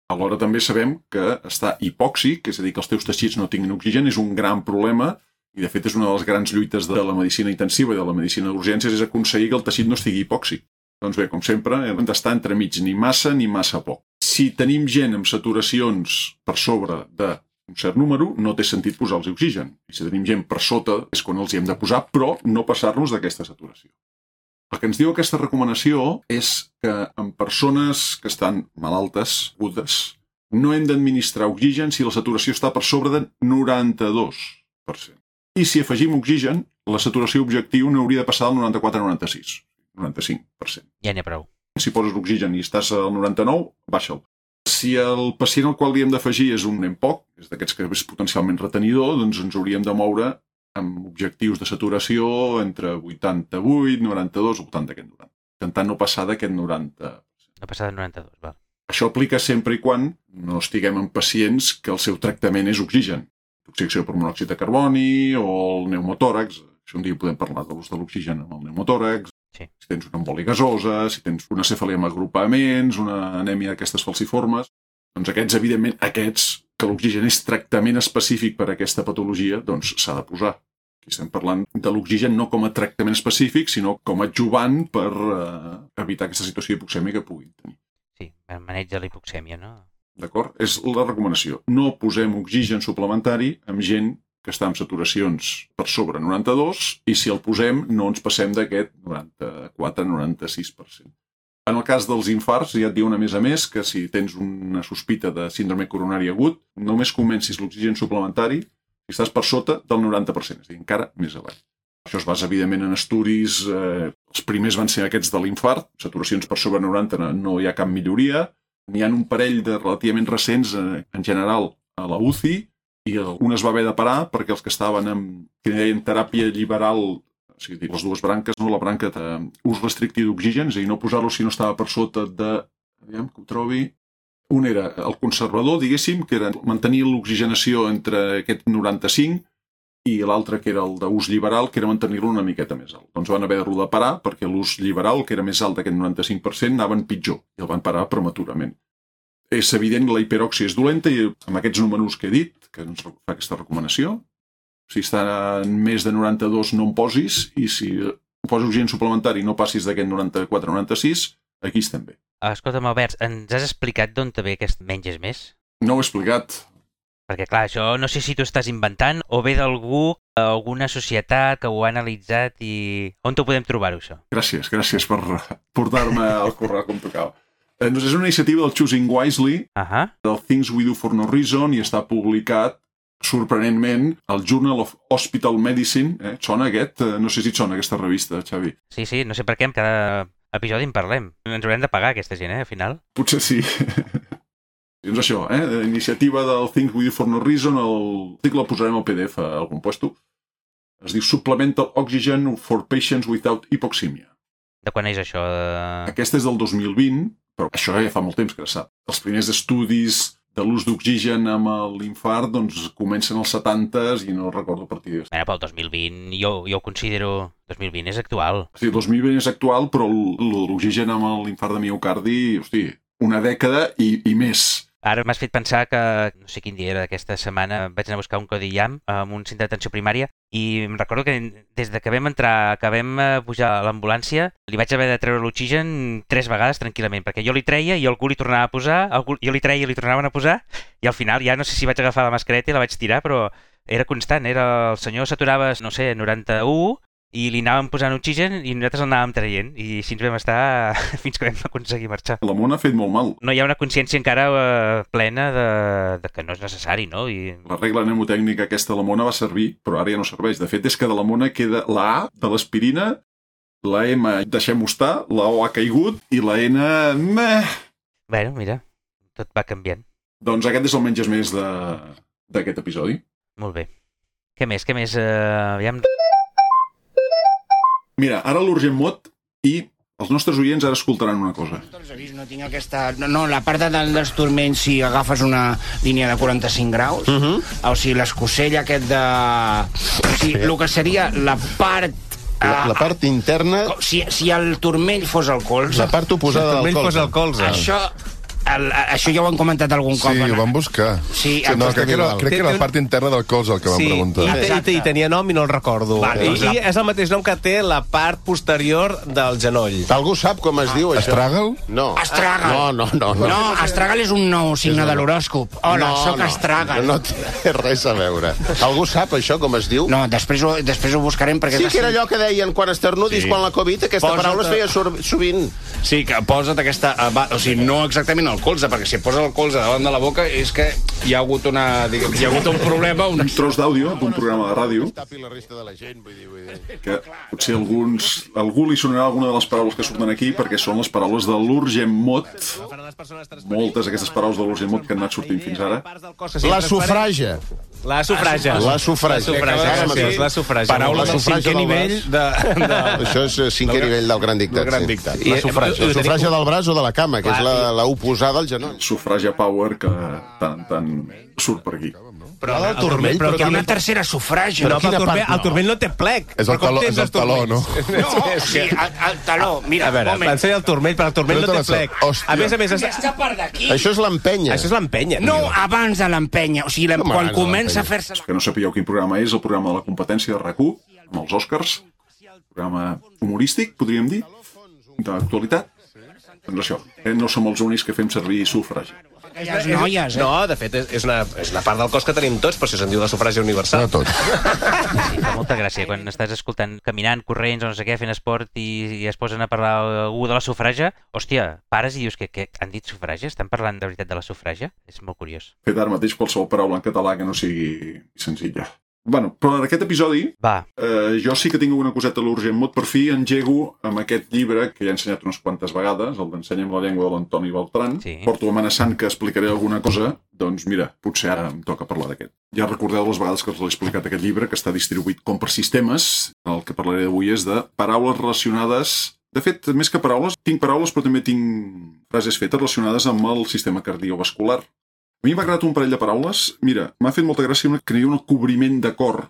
Alhora també sabem que estar hipòxic, és a dir, que els teus teixits no tinguin oxigen, és un gran problema, i de fet és una de les grans lluites de la medicina intensiva i de la medicina d'urgències, és aconseguir que el teixit no estigui hipòxic. Doncs bé, com sempre, hem d'estar entremig, ni massa ni massa poc. Si tenim gent amb saturacions per sobre d'un cert número, no té sentit posar-los oxigen. I si tenim gent per sota, és quan els hi hem de posar, però no passar-nos d'aquesta saturació. El que ens diu aquesta recomanació és que en persones que estan malaltes, agudes, no hem d'administrar oxigen si la saturació està per sobre de noranta-dos per cent. I si afegim oxigen, la saturació objectiu no hauria de passar del noranta-quatre al noranta-sis, noranta-cinc per cent. Ja n'hi ha prou. Si poses l'oxigen i estàs al noranta-nou, baixa'l. Si el pacient al qual li hem d'afegir és un nen poc, és d'aquests que és potencialment retenidor, doncs ens hauríem de moure amb objectius de saturació entre vuitanta-vuit, noranta-dos, al voltant d'aquest noranta. Intentant no passar d'aquest noranta. No passar de noranta-dos, val. Això aplica sempre i quan no estiguem en pacients que el seu tractament és oxigen. Oxidació per monòxid de carboni o el pneumotòrax. Això un dia podem parlar de l'ús de l'oxigen amb el pneumotòrax. Sí. Si tens una embòlia gasosa, si tens una cefalea amb agrupaments, una anèmia d'aquestes falciformes, doncs aquests, evidentment, aquests que l'oxigen és tractament específic per a aquesta patologia, doncs s'ha de posar. Aquí estem parlant de l'oxigen no com a tractament específic, sinó com a adjuvant per eh, evitar aquesta situació hipoxèmia que puguin tenir. Sí, el maneig de la hipoxèmia, no? D'acord? És la recomanació. No posem oxigen suplementari amb gent que està amb saturacions per sobre noranta-dos i si el posem no ens passem d'aquest noranta-quatre a noranta-sis per cent. En el cas dels infarts, ja et diuen a més a més que si tens una sospita de síndrome coronari agut, només comencis l'oxigen suplementari si estàs per sota del noranta per cent, és a dir, encara més avall. Això es basa, evidentment, en estudis. Eh, els primers van ser aquests de l'infart, saturacions per sobre noranta no hi ha cap milloria. N'hi ha un parell de relativament recents, eh, en general, a la U C I, i un es va haver de parar perquè els que estaven en, que deien teràpia liberal, o sigui, les dues branques, no? La branca d'ús restrictiu d'oxigen, és a dir, no posar-lo si no estava per sota de... Aviam, que ho trobi... Un era el conservador, diguéssim, que era mantenir l'oxigenació entre aquest noranta-cinc i l'altre, que era el d'ús liberal, que era mantenir-lo una miqueta més alt. Doncs van haver-lo de parar perquè l'ús liberal, que era més alt d'aquest noranta-cinc per cent, anaven pitjor i el van parar prematurament. És evident que la hiperòxia és dolenta i amb aquests números que he dit, que ens fa aquesta recomanació, si està en més de noranta-dos no en posis i si poses oxigen suplementari i no passis d'aquest noranta-quatre a noranta-sis, aquí estem bé. Escolta'm, Albert, ens has explicat d'on te ve aquest menys és més? No ho he explicat. Perquè, clar, això no sé si tu estàs inventant o ve d'algú, alguna societat que ho ha analitzat i... On t'ho podem trobar, això? Gràcies, gràcies per portar-me al correu com tocava. Doncs és una iniciativa del Choosing Wisely, uh-huh. del Things We Do for No Reason, i està publicat, sorprenentment, al Journal of Hospital Medicine. Eh? Et sona aquest? No sé si et sona aquesta revista, Xavi. Sí, sí, no sé per què en cada episodi en parlem. Ens haurem de pagar, aquesta gent, eh, al final. Potser sí. Doncs això, eh? Iniciativa del Things We Do for No Reason, l'article el posarem al P D F a algun puesto. Es diu Supplemental Oxygen for Patients Without Hypoxemia. De quan és això? Aquesta és del dos mil vint, però això ja fa molt temps que sap. Els primers estudis de l'ús d'oxigen amb l'infart doncs, comencen als setantes i no recordo a partir d'això. Mira, pel dos mil vint jo, jo ho considero... dos mil vint és actual. Sí, dos mil vint és actual, però l'oxigen amb l'infart de miocardi, hosti, una dècada i, i més. Ara m'has fet pensar que, no sé quin dia era d'aquesta setmana, vaig anar a buscar un codi I A M amb un centre d'atenció primària i em recordo que des de que vam entrar, que vam pujar a l'ambulància, li vaig haver de treure l'oxigen tres vegades tranquil·lament, perquè jo li treia i algú li tornava a posar, algú, jo li treia i li tornaven a posar, i al final ja no sé si vaig agafar la mascareta i la vaig tirar, però era constant, era el senyor s'aturava, no sé, noranta-u, i li anàvem posant oxigen i nosaltres el anàvem traient, i així ens vam estar fins que vam aconseguir marxar. La mona ha fet molt mal. No hi ha una consciència encara eh, plena de, de que no és necessari, no? I... La regla mnemotècnica aquesta de la mona va servir, però ara ja no serveix. De fet, és que de la mona queda la A de l'aspirina, la M deixem-ho estar, la O ha caigut i la N... Meh. Bueno, mira, tot va canviant. Doncs aquest és el menges més d'aquest episodi. Molt bé. Què més? Què més? Uh, aviam... Mira, ara l'Urgent Mot i els nostres oients ara escoltaran una cosa. No tinc aquesta... No, la part de, dels turmells, si agafes una línia de quaranta-cinc graus, uh -huh. o sigui, l'escocell aquest de... O sigui, el que seria la part... La, la part interna... Si, si el turmell fos el colze... La part oposada si del colze. Fos el colze. Això... El, això ja ho han comentat algun cop. Sí, ho vam buscar. Sí, sí, no, crec que, era, crec que era la part interna del colze el que vam sí, preguntar. I, i, i tenia nom i no el recordo. Vale, I, doncs la... I és el mateix nom que té la part posterior del genoll. Algú sap com es diu, això? Astràgal? No. Astràgal. No, no, no. No, no Astràgal és un nou signe de l'horòscop. Hola, no, sóc no, Astràgal. No té res a veure. Algú sap això, com es diu? No, després ho, després ho buscarem perquè... Sí que era allò que deien quan esternudis, sí. Quan la Covid, aquesta Posa't... paraula es feia sovint. Sí, que posa't aquesta... O sigui, no exactament al colze, perquè si posa el colze davant de la boca és que hi ha hagut una... Diguem, hi ha hagut un problema... Una... Un tros d'àudio d'un programa de ràdio que potser alguns, algú li sonarà alguna de les paraules que surten aquí perquè són les paraules de l'Urgent Mot. Moltes d'aquestes paraules de l'Urgent Mot que han anat sortint fins ara. La sufraja. La sufraja. La sufraja. La sufraja. Paraula del cinquè nivell de... Això és cinquè nivell del gran dictat. La sufraja. La sufraja del braç o de la cama, que és la oposada al genoll. Sufragia power que tant, tant surt per aquí. Però el turmell, però que hi ha una tercera sufraja. Però el turmell, el turmell no té plec. És el taló, és el taló, no? No, sí, el, el taló, mira, a veure, pensaré el turmell, però el turmell no té plec. A més a més... Aquesta part d'aquí... Això és l'empenya. Això és l'empenya. No, abans de l'empenya. O sigui, quan comença a fer-se... Que no sapigueu quin programa és, el programa de la competència de RAC u, amb els Oscars, programa humorístic, podríem dir, d'actualitat. Doncs això, eh? No som els únics que fem servir sufragi. Les noies, eh? No, de fet, és una, és una part del cos que tenim tots, però si se'n diu la sufràgia universal. No tots. Sí, fa molta gràcia. Quan estàs escoltant, caminant, corrents o no sé què, fent esport i, i es posen a parlar algú de la sufràgia, hòstia, pares i dius que, que han dit sufràgia? Estan parlant de veritat de la sufràgia? És molt curiós. Fet ara mateix qualsevol paraula en català que no sigui senzilla. Bueno, però en aquest episodi Va. Eh, jo sí que tinc una coseta a l'Urgent Mot. Per fi engego amb aquest llibre que ja he ensenyat unes quantes vegades, el d'Ensenya'm la llengua de l'Antoni Beltran. Sí. Porto amenaçant que explicaré alguna cosa, doncs mira, potser ara em toca parlar d'aquest. Ja recordeu les vegades que us l'he explicat aquest llibre, que està distribuït com per sistemes. El que parlaré avui és de paraules relacionades... De fet, més que paraules, tinc paraules però també tinc frases fetes relacionades amb el sistema cardiovascular. A mi m'ha agradat un parell de paraules. Mira, m'ha fet molta gràcia una que hi ha un cobriment de cor.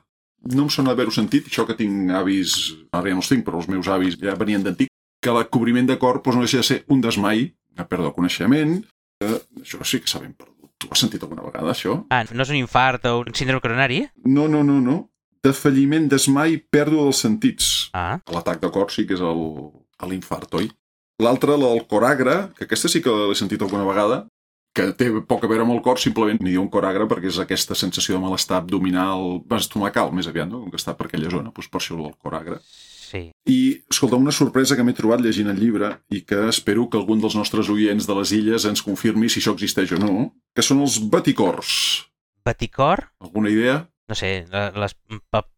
No em sona haver-ho sentit, això que tinc avis, ara ja no els tinc, però els meus avis ja venien d'antic, que el cobriment de cor doncs, no deixa de ser un desmai, una pèrdua de coneixement, que això sí que s'ha ben perdut. Tu has sentit alguna vegada, això? Ah, no és un infart o un síndrome coronari? No, no, no, no. Defalliment, desmai, pèrdua dels sentits. Ah. L'atac de cor sí que és el, l'infart, oi? L'altra, la del coragre, que aquesta sí que l'he sentit alguna vegada, que té poc a veure amb el cor, simplement n'hi diu un coragre perquè és aquesta sensació de malestar abdominal, estomacal, més aviat, no? Com que està per aquella zona, doncs per això el coragre. Sí. I, escolta, una sorpresa que m'he trobat llegint el llibre i que espero que algun dels nostres oients de les illes ens confirmi si això existeix o no, que són els baticors. Baticor? Alguna idea? No sé, les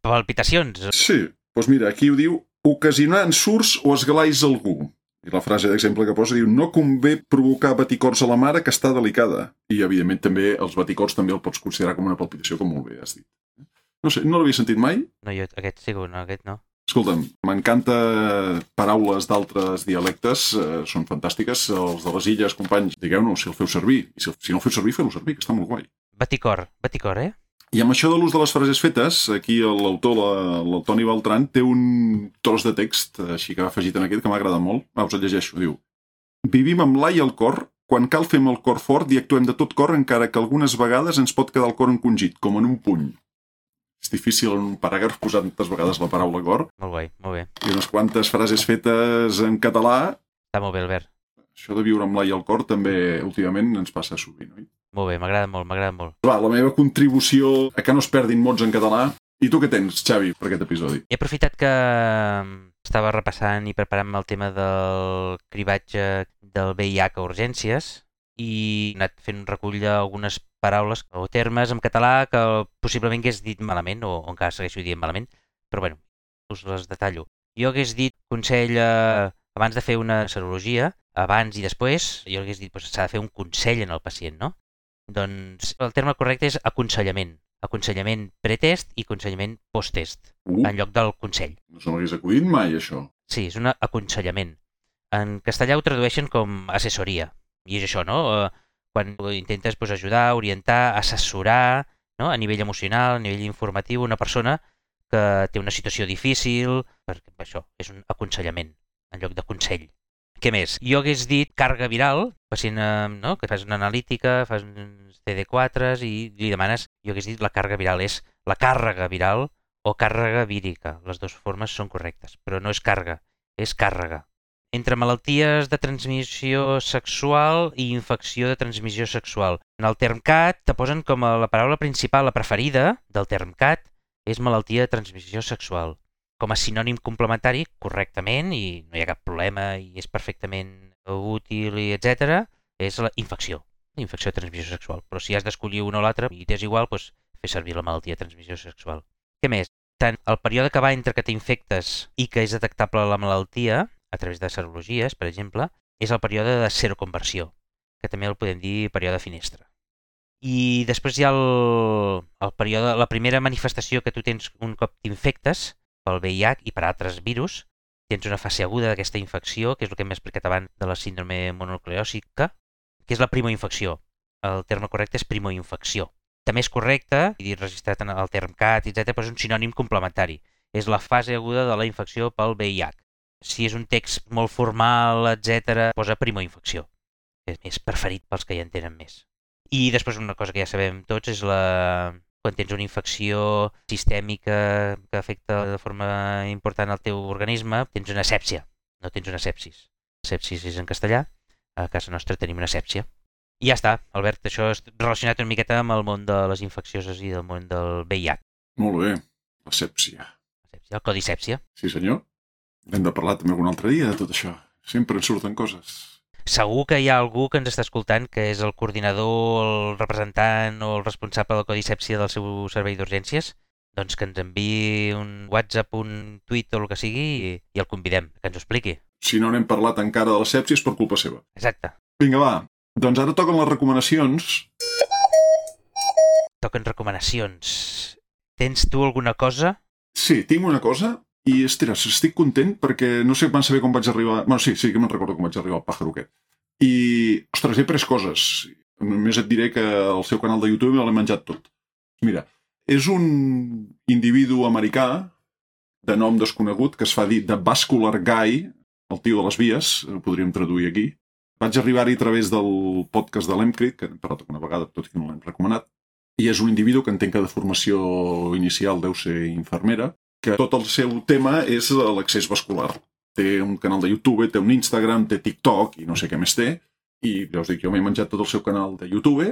palpitacions. Sí, doncs mira, aquí ho diu ocasionar ensurts o esglais a algú. I la frase d'exemple que posa diu no convé provocar baticors a la mare que està delicada. I, evidentment, també els baticors també el pots considerar com una palpitació, com molt bé has dit. No sé, no l'havia sentit mai? No, jo aquest sí, no, aquest no. Escolta'm, m'encanta paraules d'altres dialectes, eh, són fantàstiques. Els de les illes, companys, digueu-nos si el feu servir. I si, si no el feu servir, feu-lo servir, que està molt guai. Baticor, baticor, eh? I amb això de l'ús de les frases fetes, aquí l'autor, el Toni Beltran, té un tros de text així que ha afegit en aquest que m'ha agradat molt. Va, us el llegeixo. Diu: vivim amb l'ai al cor, quan cal fem el cor fort i actuem de tot cor, encara que algunes vegades ens pot quedar el cor encongit, com en un puny. És difícil en un paràgraf posar tantes vegades la paraula cor. Molt guai, molt bé. I unes quantes frases fetes en català. Està molt bé, Albert. Això de viure amb l'ai al cor també últimament ens passa sovint, oi? Molt bé, m'agrada molt, m'agrada molt. Va, la meva contribució a que no es perdin mots en català. I tu què tens, Xavi, per aquest episodi? He aprofitat que estava repassant i preparant-me el tema del cribatge del V I H a urgències i he anat fent un recull d'algunes paraules o termes en català que possiblement hagués dit malament o encara segueixo dient malament, però bueno, us les detallo. Jo hagués dit consell eh, abans de fer una serologia, abans i després, jo hagués dit que doncs, s'ha de fer un consell en el pacient, no? Doncs el terme correcte és aconsellament. Aconsellament pretest i aconsellament posttest, uh, en lloc del consell. No se m'hagués acudit mai, això. Sí, és un aconsellament. En castellà ho tradueixen com assessoria. I és això, no? Quan intentes doncs, ajudar, orientar, assessorar, no? A nivell emocional, a nivell informatiu, una persona que té una situació difícil, perquè això és un aconsellament, en lloc de consell. Què més? Jo hagués dit càrrega viral, pacient, no? Que fas una analítica, fas uns C D quatre i li demanes, jo hagués dit la càrrega viral és la càrrega viral o càrrega vírica. Les dues formes són correctes, però no és càrrega, és càrrega. Entre malalties de transmissió sexual i infecció de transmissió sexual. En el TERMCAT te posen com a la paraula principal, la preferida del TERMCAT, és malaltia de transmissió sexual. Com a sinònim complementari, correctament, i no hi ha cap problema i és perfectament útil, i etcètera, és la infecció, la infecció de transmissió sexual. Però si has d'escollir una o l'altra i t'és igual, doncs fer servir la malaltia de transmissió sexual. Què més? Tant el període que va entre que t'infectes i que és detectable la malaltia, a través de serologies, per exemple, és el període de seroconversió, que també el podem dir període finestra. I després hi ha el, el període, la primera manifestació que tu tens un cop t'infectes, pel V I H i per altres virus, tens una fase aguda d'aquesta infecció, que és el que hem explicat abans de la síndrome mononucleòsica, que és la primoinfecció. El terme correcte és primoinfecció. També és correcte, i registrat en el TERMCAT, etcètera, però és un sinònim complementari. És la fase aguda de la infecció pel V I H. Si és un text molt formal, etcètera, posa primoinfecció. És més preferit pels que ja en tenen més. I després una cosa que ja sabem tots és la... quan tens una infecció sistèmica que afecta de forma important el teu organisme, tens una sèpsia, no tens una sepsis. Sepsis és en castellà, a casa nostra tenim una sèpsia. I ja està, Albert, això és relacionat una miqueta amb el món de les infeccioses i del món del V I H. Molt bé, la sèpsia. El codi sèpsia. Sí, senyor. Hem de parlar també algun altre dia de tot això. Sempre en surten coses. Segur que hi ha algú que ens està escoltant que és el coordinador, el representant o el responsable del codi sèpsia del seu servei d'urgències, doncs que ens enviï un WhatsApp, un tuit o el que sigui i, i el convidem, que ens ho expliqui. Si no n'hem parlat encara de la sèpsia és per culpa seva. Exacte. Vinga, va. Doncs ara toquen les recomanacions. Toquen recomanacions. Tens tu alguna cosa? Sí, tinc una cosa. I, ostres, estic content perquè no sé quan saber com vaig arribar... Bueno, sí, sí que me'n recordo com vaig arribar al pàjaro aquest. I, ostres, he pres coses. Només et diré que el seu canal de YouTube l'he menjat tot. Mira, és un individu americà de nom desconegut que es fa dir The Vascular Guy, el tio de les vies, ho podríem traduir aquí. Vaig arribar-hi a través del podcast de l'Emcrit, que hem parlat una vegada, tot i que no l'hem recomanat. I és un individu que entenc que de formació inicial deu ser infermera, que tot el seu tema és l'accés vascular. Té un canal de YouTube, té un Instagram, té TikTok i no sé què més té. I ja us dic, jo m'he menjat tot el seu canal de YouTube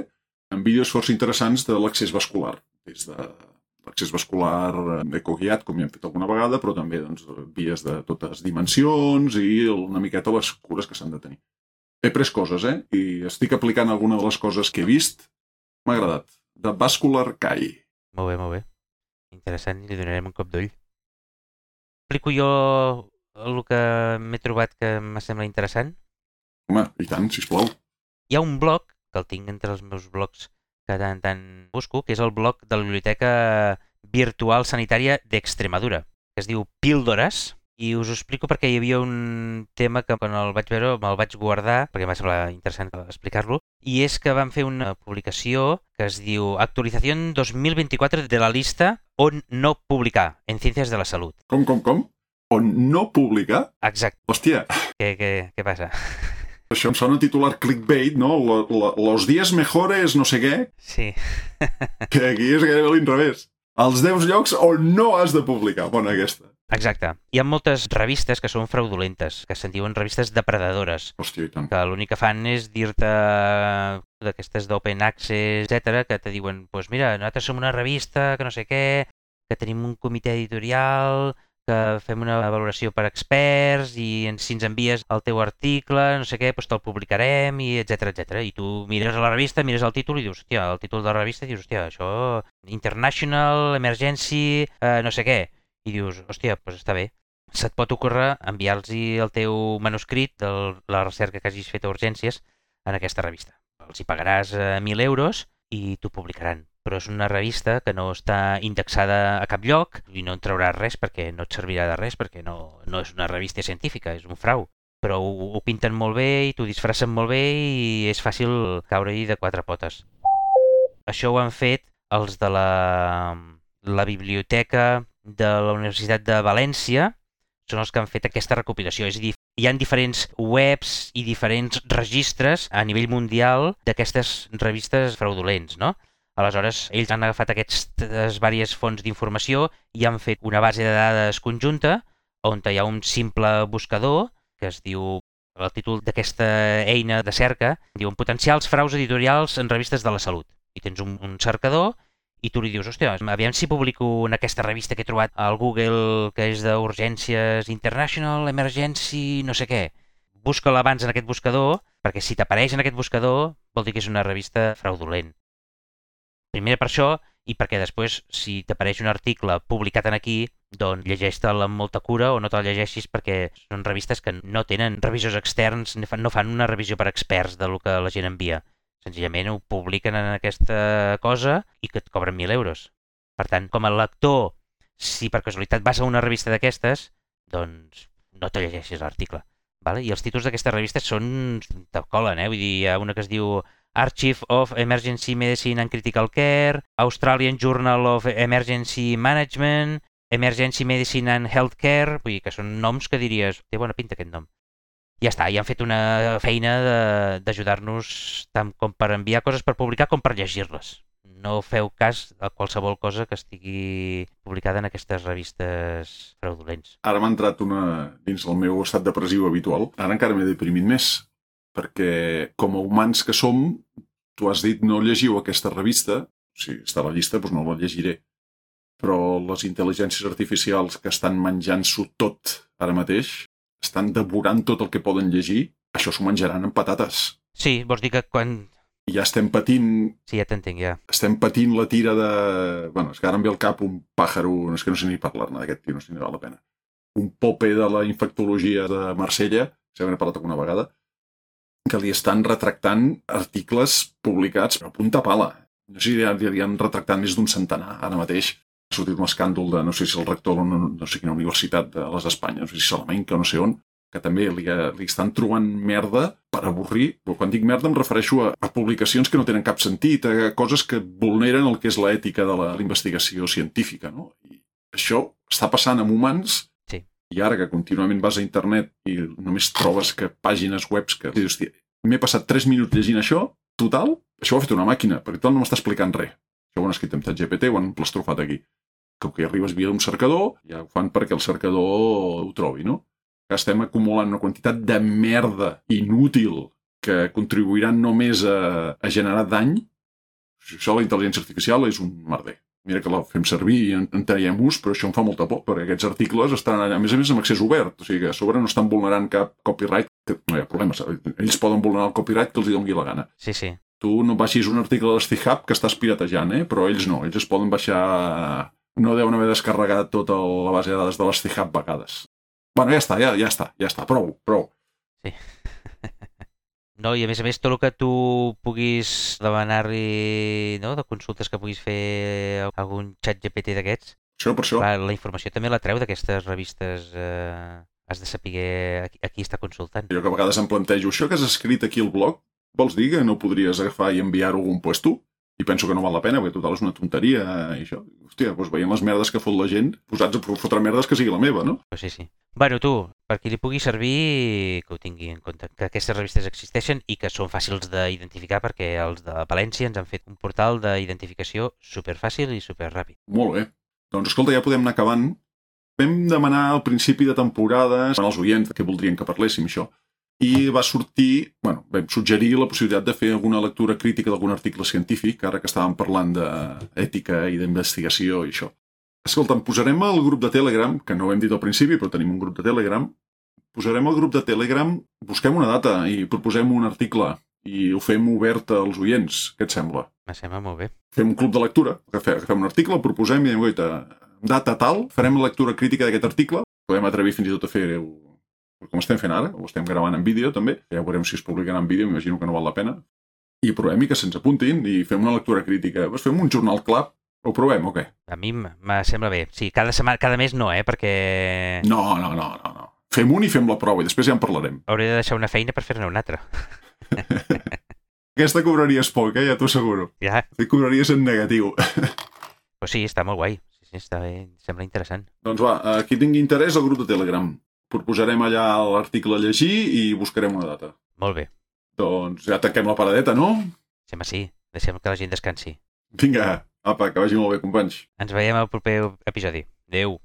amb vídeos força interessants de l'accés vascular. Des de l'accés vascular ecoguiat, com ja hem fet alguna vegada, però també doncs, vies de totes dimensions i una miqueta les cures que s'han de tenir. He pres coses, eh? I estic aplicant alguna de les coses que he vist. M'ha agradat. The Vascular Guy. Molt bé, molt bé. Interessant, i li donarem un cop d'ull. Explico jo el que m'he trobat que me sembla interessant? Home, i tant, sisplau. Hi ha un blog, que el tinc entre els meus blogs que tant tant busco, que és el blog de la Biblioteca Virtual Sanitària d'Extremadura, que es diu Píldores, i us ho explico perquè hi havia un tema que quan el vaig veure me'l vaig guardar, perquè m'ha semblat interessant explicar-lo, i és que van fer una publicació que es diu Actualització dos mil vint-i-quatre de la lista on no publicar en Ciències de la Salut. Com, com, com? On no publicar? Exacte. Hòstia. Què, què, què passa? Això em sona titular clickbait, no? Lo, lo, los diez mejores no sé què. Sí. Que aquí és gairebé l'inrevés. Els deu llocs on no has de publicar. Bona aquesta. Exacte. Hi ha moltes revistes que són fraudulentes, que se'n diuen revistes depredadores. Hòstia, i tant. Que l'únic que fan és dir-te d'aquestes d'open access, etcètera, que te diuen, doncs pues mira, nosaltres som una revista que no sé què, que tenim un comitè editorial, que fem una valoració per experts i si ens envies el teu article, no sé què, doncs te'l publicarem, i etcètera, etcètera. I tu mires a la revista, mires el títol i dius, hòstia, el títol de la revista, i dius, hòstia, això, International, Emergency, eh, no sé què. I dius, hòstia, doncs està bé. Se't pot ocórrer enviar-los el teu manuscrit de la recerca que hagis fet a urgències en aquesta revista. Els hi pagaràs mil euros i t'ho publicaran. Però és una revista que no està indexada a cap lloc i no en trauràs res perquè no et servirà de res, perquè no, no és una revista científica, és un frau. Però ho, ho pinten molt bé i t'ho disfracen molt bé i és fàcil caure-hi de quatre potes. Això ho han fet els de la, la biblioteca de la Universitat de València, són els que han fet aquesta recopilació. És a dir, hi ha diferents webs i diferents registres a nivell mundial d'aquestes revistes fraudulents, no? Aleshores, ells han agafat aquestes diverses fonts d'informació i han fet una base de dades conjunta on hi ha un simple buscador que es diu, el títol d'aquesta eina de cerca, diuen potencials fraus editorials en revistes de la salut. I tens un, un cercador i tu li dius, hòstia, aviam si publico en aquesta revista que he trobat al Google, que és d'urgències International, Emergency, no sé què. Busca-la abans en aquest buscador, perquè si t'apareix en aquest buscador vol dir que és una revista fraudulent. Primer per això, i perquè després, si t'apareix un article publicat en aquí, doncs llegeix-te'l amb molta cura o no te'l llegeixis perquè són revistes que no tenen revisors externs, no fan una revisió per experts del que la gent envia. Senzillament ho publiquen en aquesta cosa i que et cobren mil euros. Per tant, com a lector, si per casualitat vas a una revista d'aquestes, doncs no te llegeixis l'article. Vale? I els títols d'aquestes revistes són... te colen, eh? Vull dir, hi ha una que es diu Archive of Emergency Medicine and Critical Care, Australian Journal of Emergency Management, Emergency Medicine and Healthcare, vull dir que són noms que diries, té bona pinta aquest nom. Ja està, i han fet una feina d'ajudar-nos tant com per enviar coses per publicar com per llegir-les. No feu cas a qualsevol cosa que estigui publicada en aquestes revistes fraudulents. Ara m'ha entrat una dins el meu estat depressiu habitual. Ara encara m'he deprimit més, perquè com a humans que som, tu has dit no llegiu aquesta revista, si està a la llista, doncs no la llegiré. Però les intel·ligències artificials que estan menjant-s'ho tot ara mateix, estan devorant tot el que poden llegir, això s'ho menjaran amb patates. Sí, vols dir que quan... I ja estem patint... Sí, ja t'entenc, ja. Estem patint la tira de... Bueno, és que ara em ve al cap un pàjaro... És que no sé ni parlar-ne d'aquest tio, no sé ni val la pena. Un pope de la infectologia de Marsella, si n'he parlat alguna vegada, que li estan retractant articles publicats a punta pala. No sé si ja li han retractat més d'un centenar ara mateix. Ha sortit un escàndol de, no sé si el rector de no, no sé quina universitat de les Espanyes, no sé si Salamanca o no sé on, que també li, li estan trobant merda per avorrir. Però quan dic merda em refereixo a, a publicacions que no tenen cap sentit, a coses que vulneren el que és l'ètica de la investigació científica, no? I això està passant amb humans, sí. I ara que contínuament vas a internet i només trobes que pàgines webs que... Hòstia, m'he passat tres minuts llegint això, total, això ho ha fet una màquina, perquè total no m'està explicant res. Això ho han escrit amb ChatGPT, ho han plastrofat aquí. Com que arribes via un cercador, ja ho fan perquè el cercador ho trobi, no? Que estem acumulant una quantitat de merda inútil que contribuiran només a, a generar dany. Això, la intel·ligència artificial, és un merder. Mira que la fem servir i en, en traiem ús, però això em fa molta por, perquè aquests articles estan allà, a més a més, amb accés obert. O sigui que a sobre no estan vulnerant cap copyright, que no hi ha problema. Ells poden vulnerar el copyright que els hi doni la gana. Sí, sí. Tu no baixis un article de l'Stihub que estàs piratejant, eh? Però ells no. Ells es poden baixar... No deuen haver descarregat tota la base de dades de l'Stihub vegades. Bueno, ja està, ja, ja està, ja està. Prou, prou. Sí. No, i a més a més, tot el que tu puguis demanar-li, no?, de consultes que puguis fer a algun xat G P T d'aquests, això per això. Clar, la informació també la treu d'aquestes revistes. Eh, has de saber a qui, a qui està consultant. Jo que a vegades em plantejo, això que has escrit aquí al blog, vols dir que no podries agafar i enviar-ho a algun puesto? I penso que no val la pena, perquè total és una tonteria i això. Hòstia, doncs veient les merdes que fot la gent, posats a fotre merdes que sigui la meva, no? Pues sí, sí. Bueno, tu, per qui li pugui servir, que ho tingui en compte, que aquestes revistes existeixen i que són fàcils d'identificar, perquè els de València ens han fet un portal d'identificació superfàcil i superràpid. Molt bé. Doncs escolta, ja podem anar acabant. Vam demanar al principi de temporada als oients que voldrien que parléssim això. I va sortir, bueno, vam suggerir la possibilitat de fer alguna lectura crítica d'algun article científic, ara que estàvem parlant d'ètica i d'investigació i això. Escolta'm, posarem el grup de Telegram, que no ho hem dit al principi, però tenim un grup de Telegram, posarem el grup de Telegram, busquem una data i proposem un article i ho fem obert als oients. Què et sembla? Me sembla molt bé. Fem un club de lectura, agafem un article, el proposem i diem, goita, data tal, farem la lectura crítica d'aquest article, podem atrevir fins i tot a fer-ho com estem fent ara, ho estem gravant en vídeo també, ja veurem si es publicarà en vídeo, m'imagino que no val la pena, i provem i que se'ns apuntin i fem una lectura crítica. Pues fem un jornal club, ho provem o què? A mi me sembla bé. Sí, cada setmana, cada mes no, eh, perquè... No, no, no, no, no. Fem un i fem la prova i després ja en parlarem. Hauré de deixar una feina per fer-ne una altra. Aquesta cobraries poc, eh, ja t'ho asseguro. Ja. Te cobraries en negatiu. Pues sí, està molt guai. Sí, sí, està bé, sembla interessant. Doncs va, qui tingui interès al grup de Telegram. Proposarem allà l'article a llegir i buscarem una data. Molt bé. Doncs ja tanquem la paradeta, no? Sembla sí. Deixem que la gent descansi. Vinga, apa, que vagi molt bé, companys. Ens veiem al proper episodi. Adéu.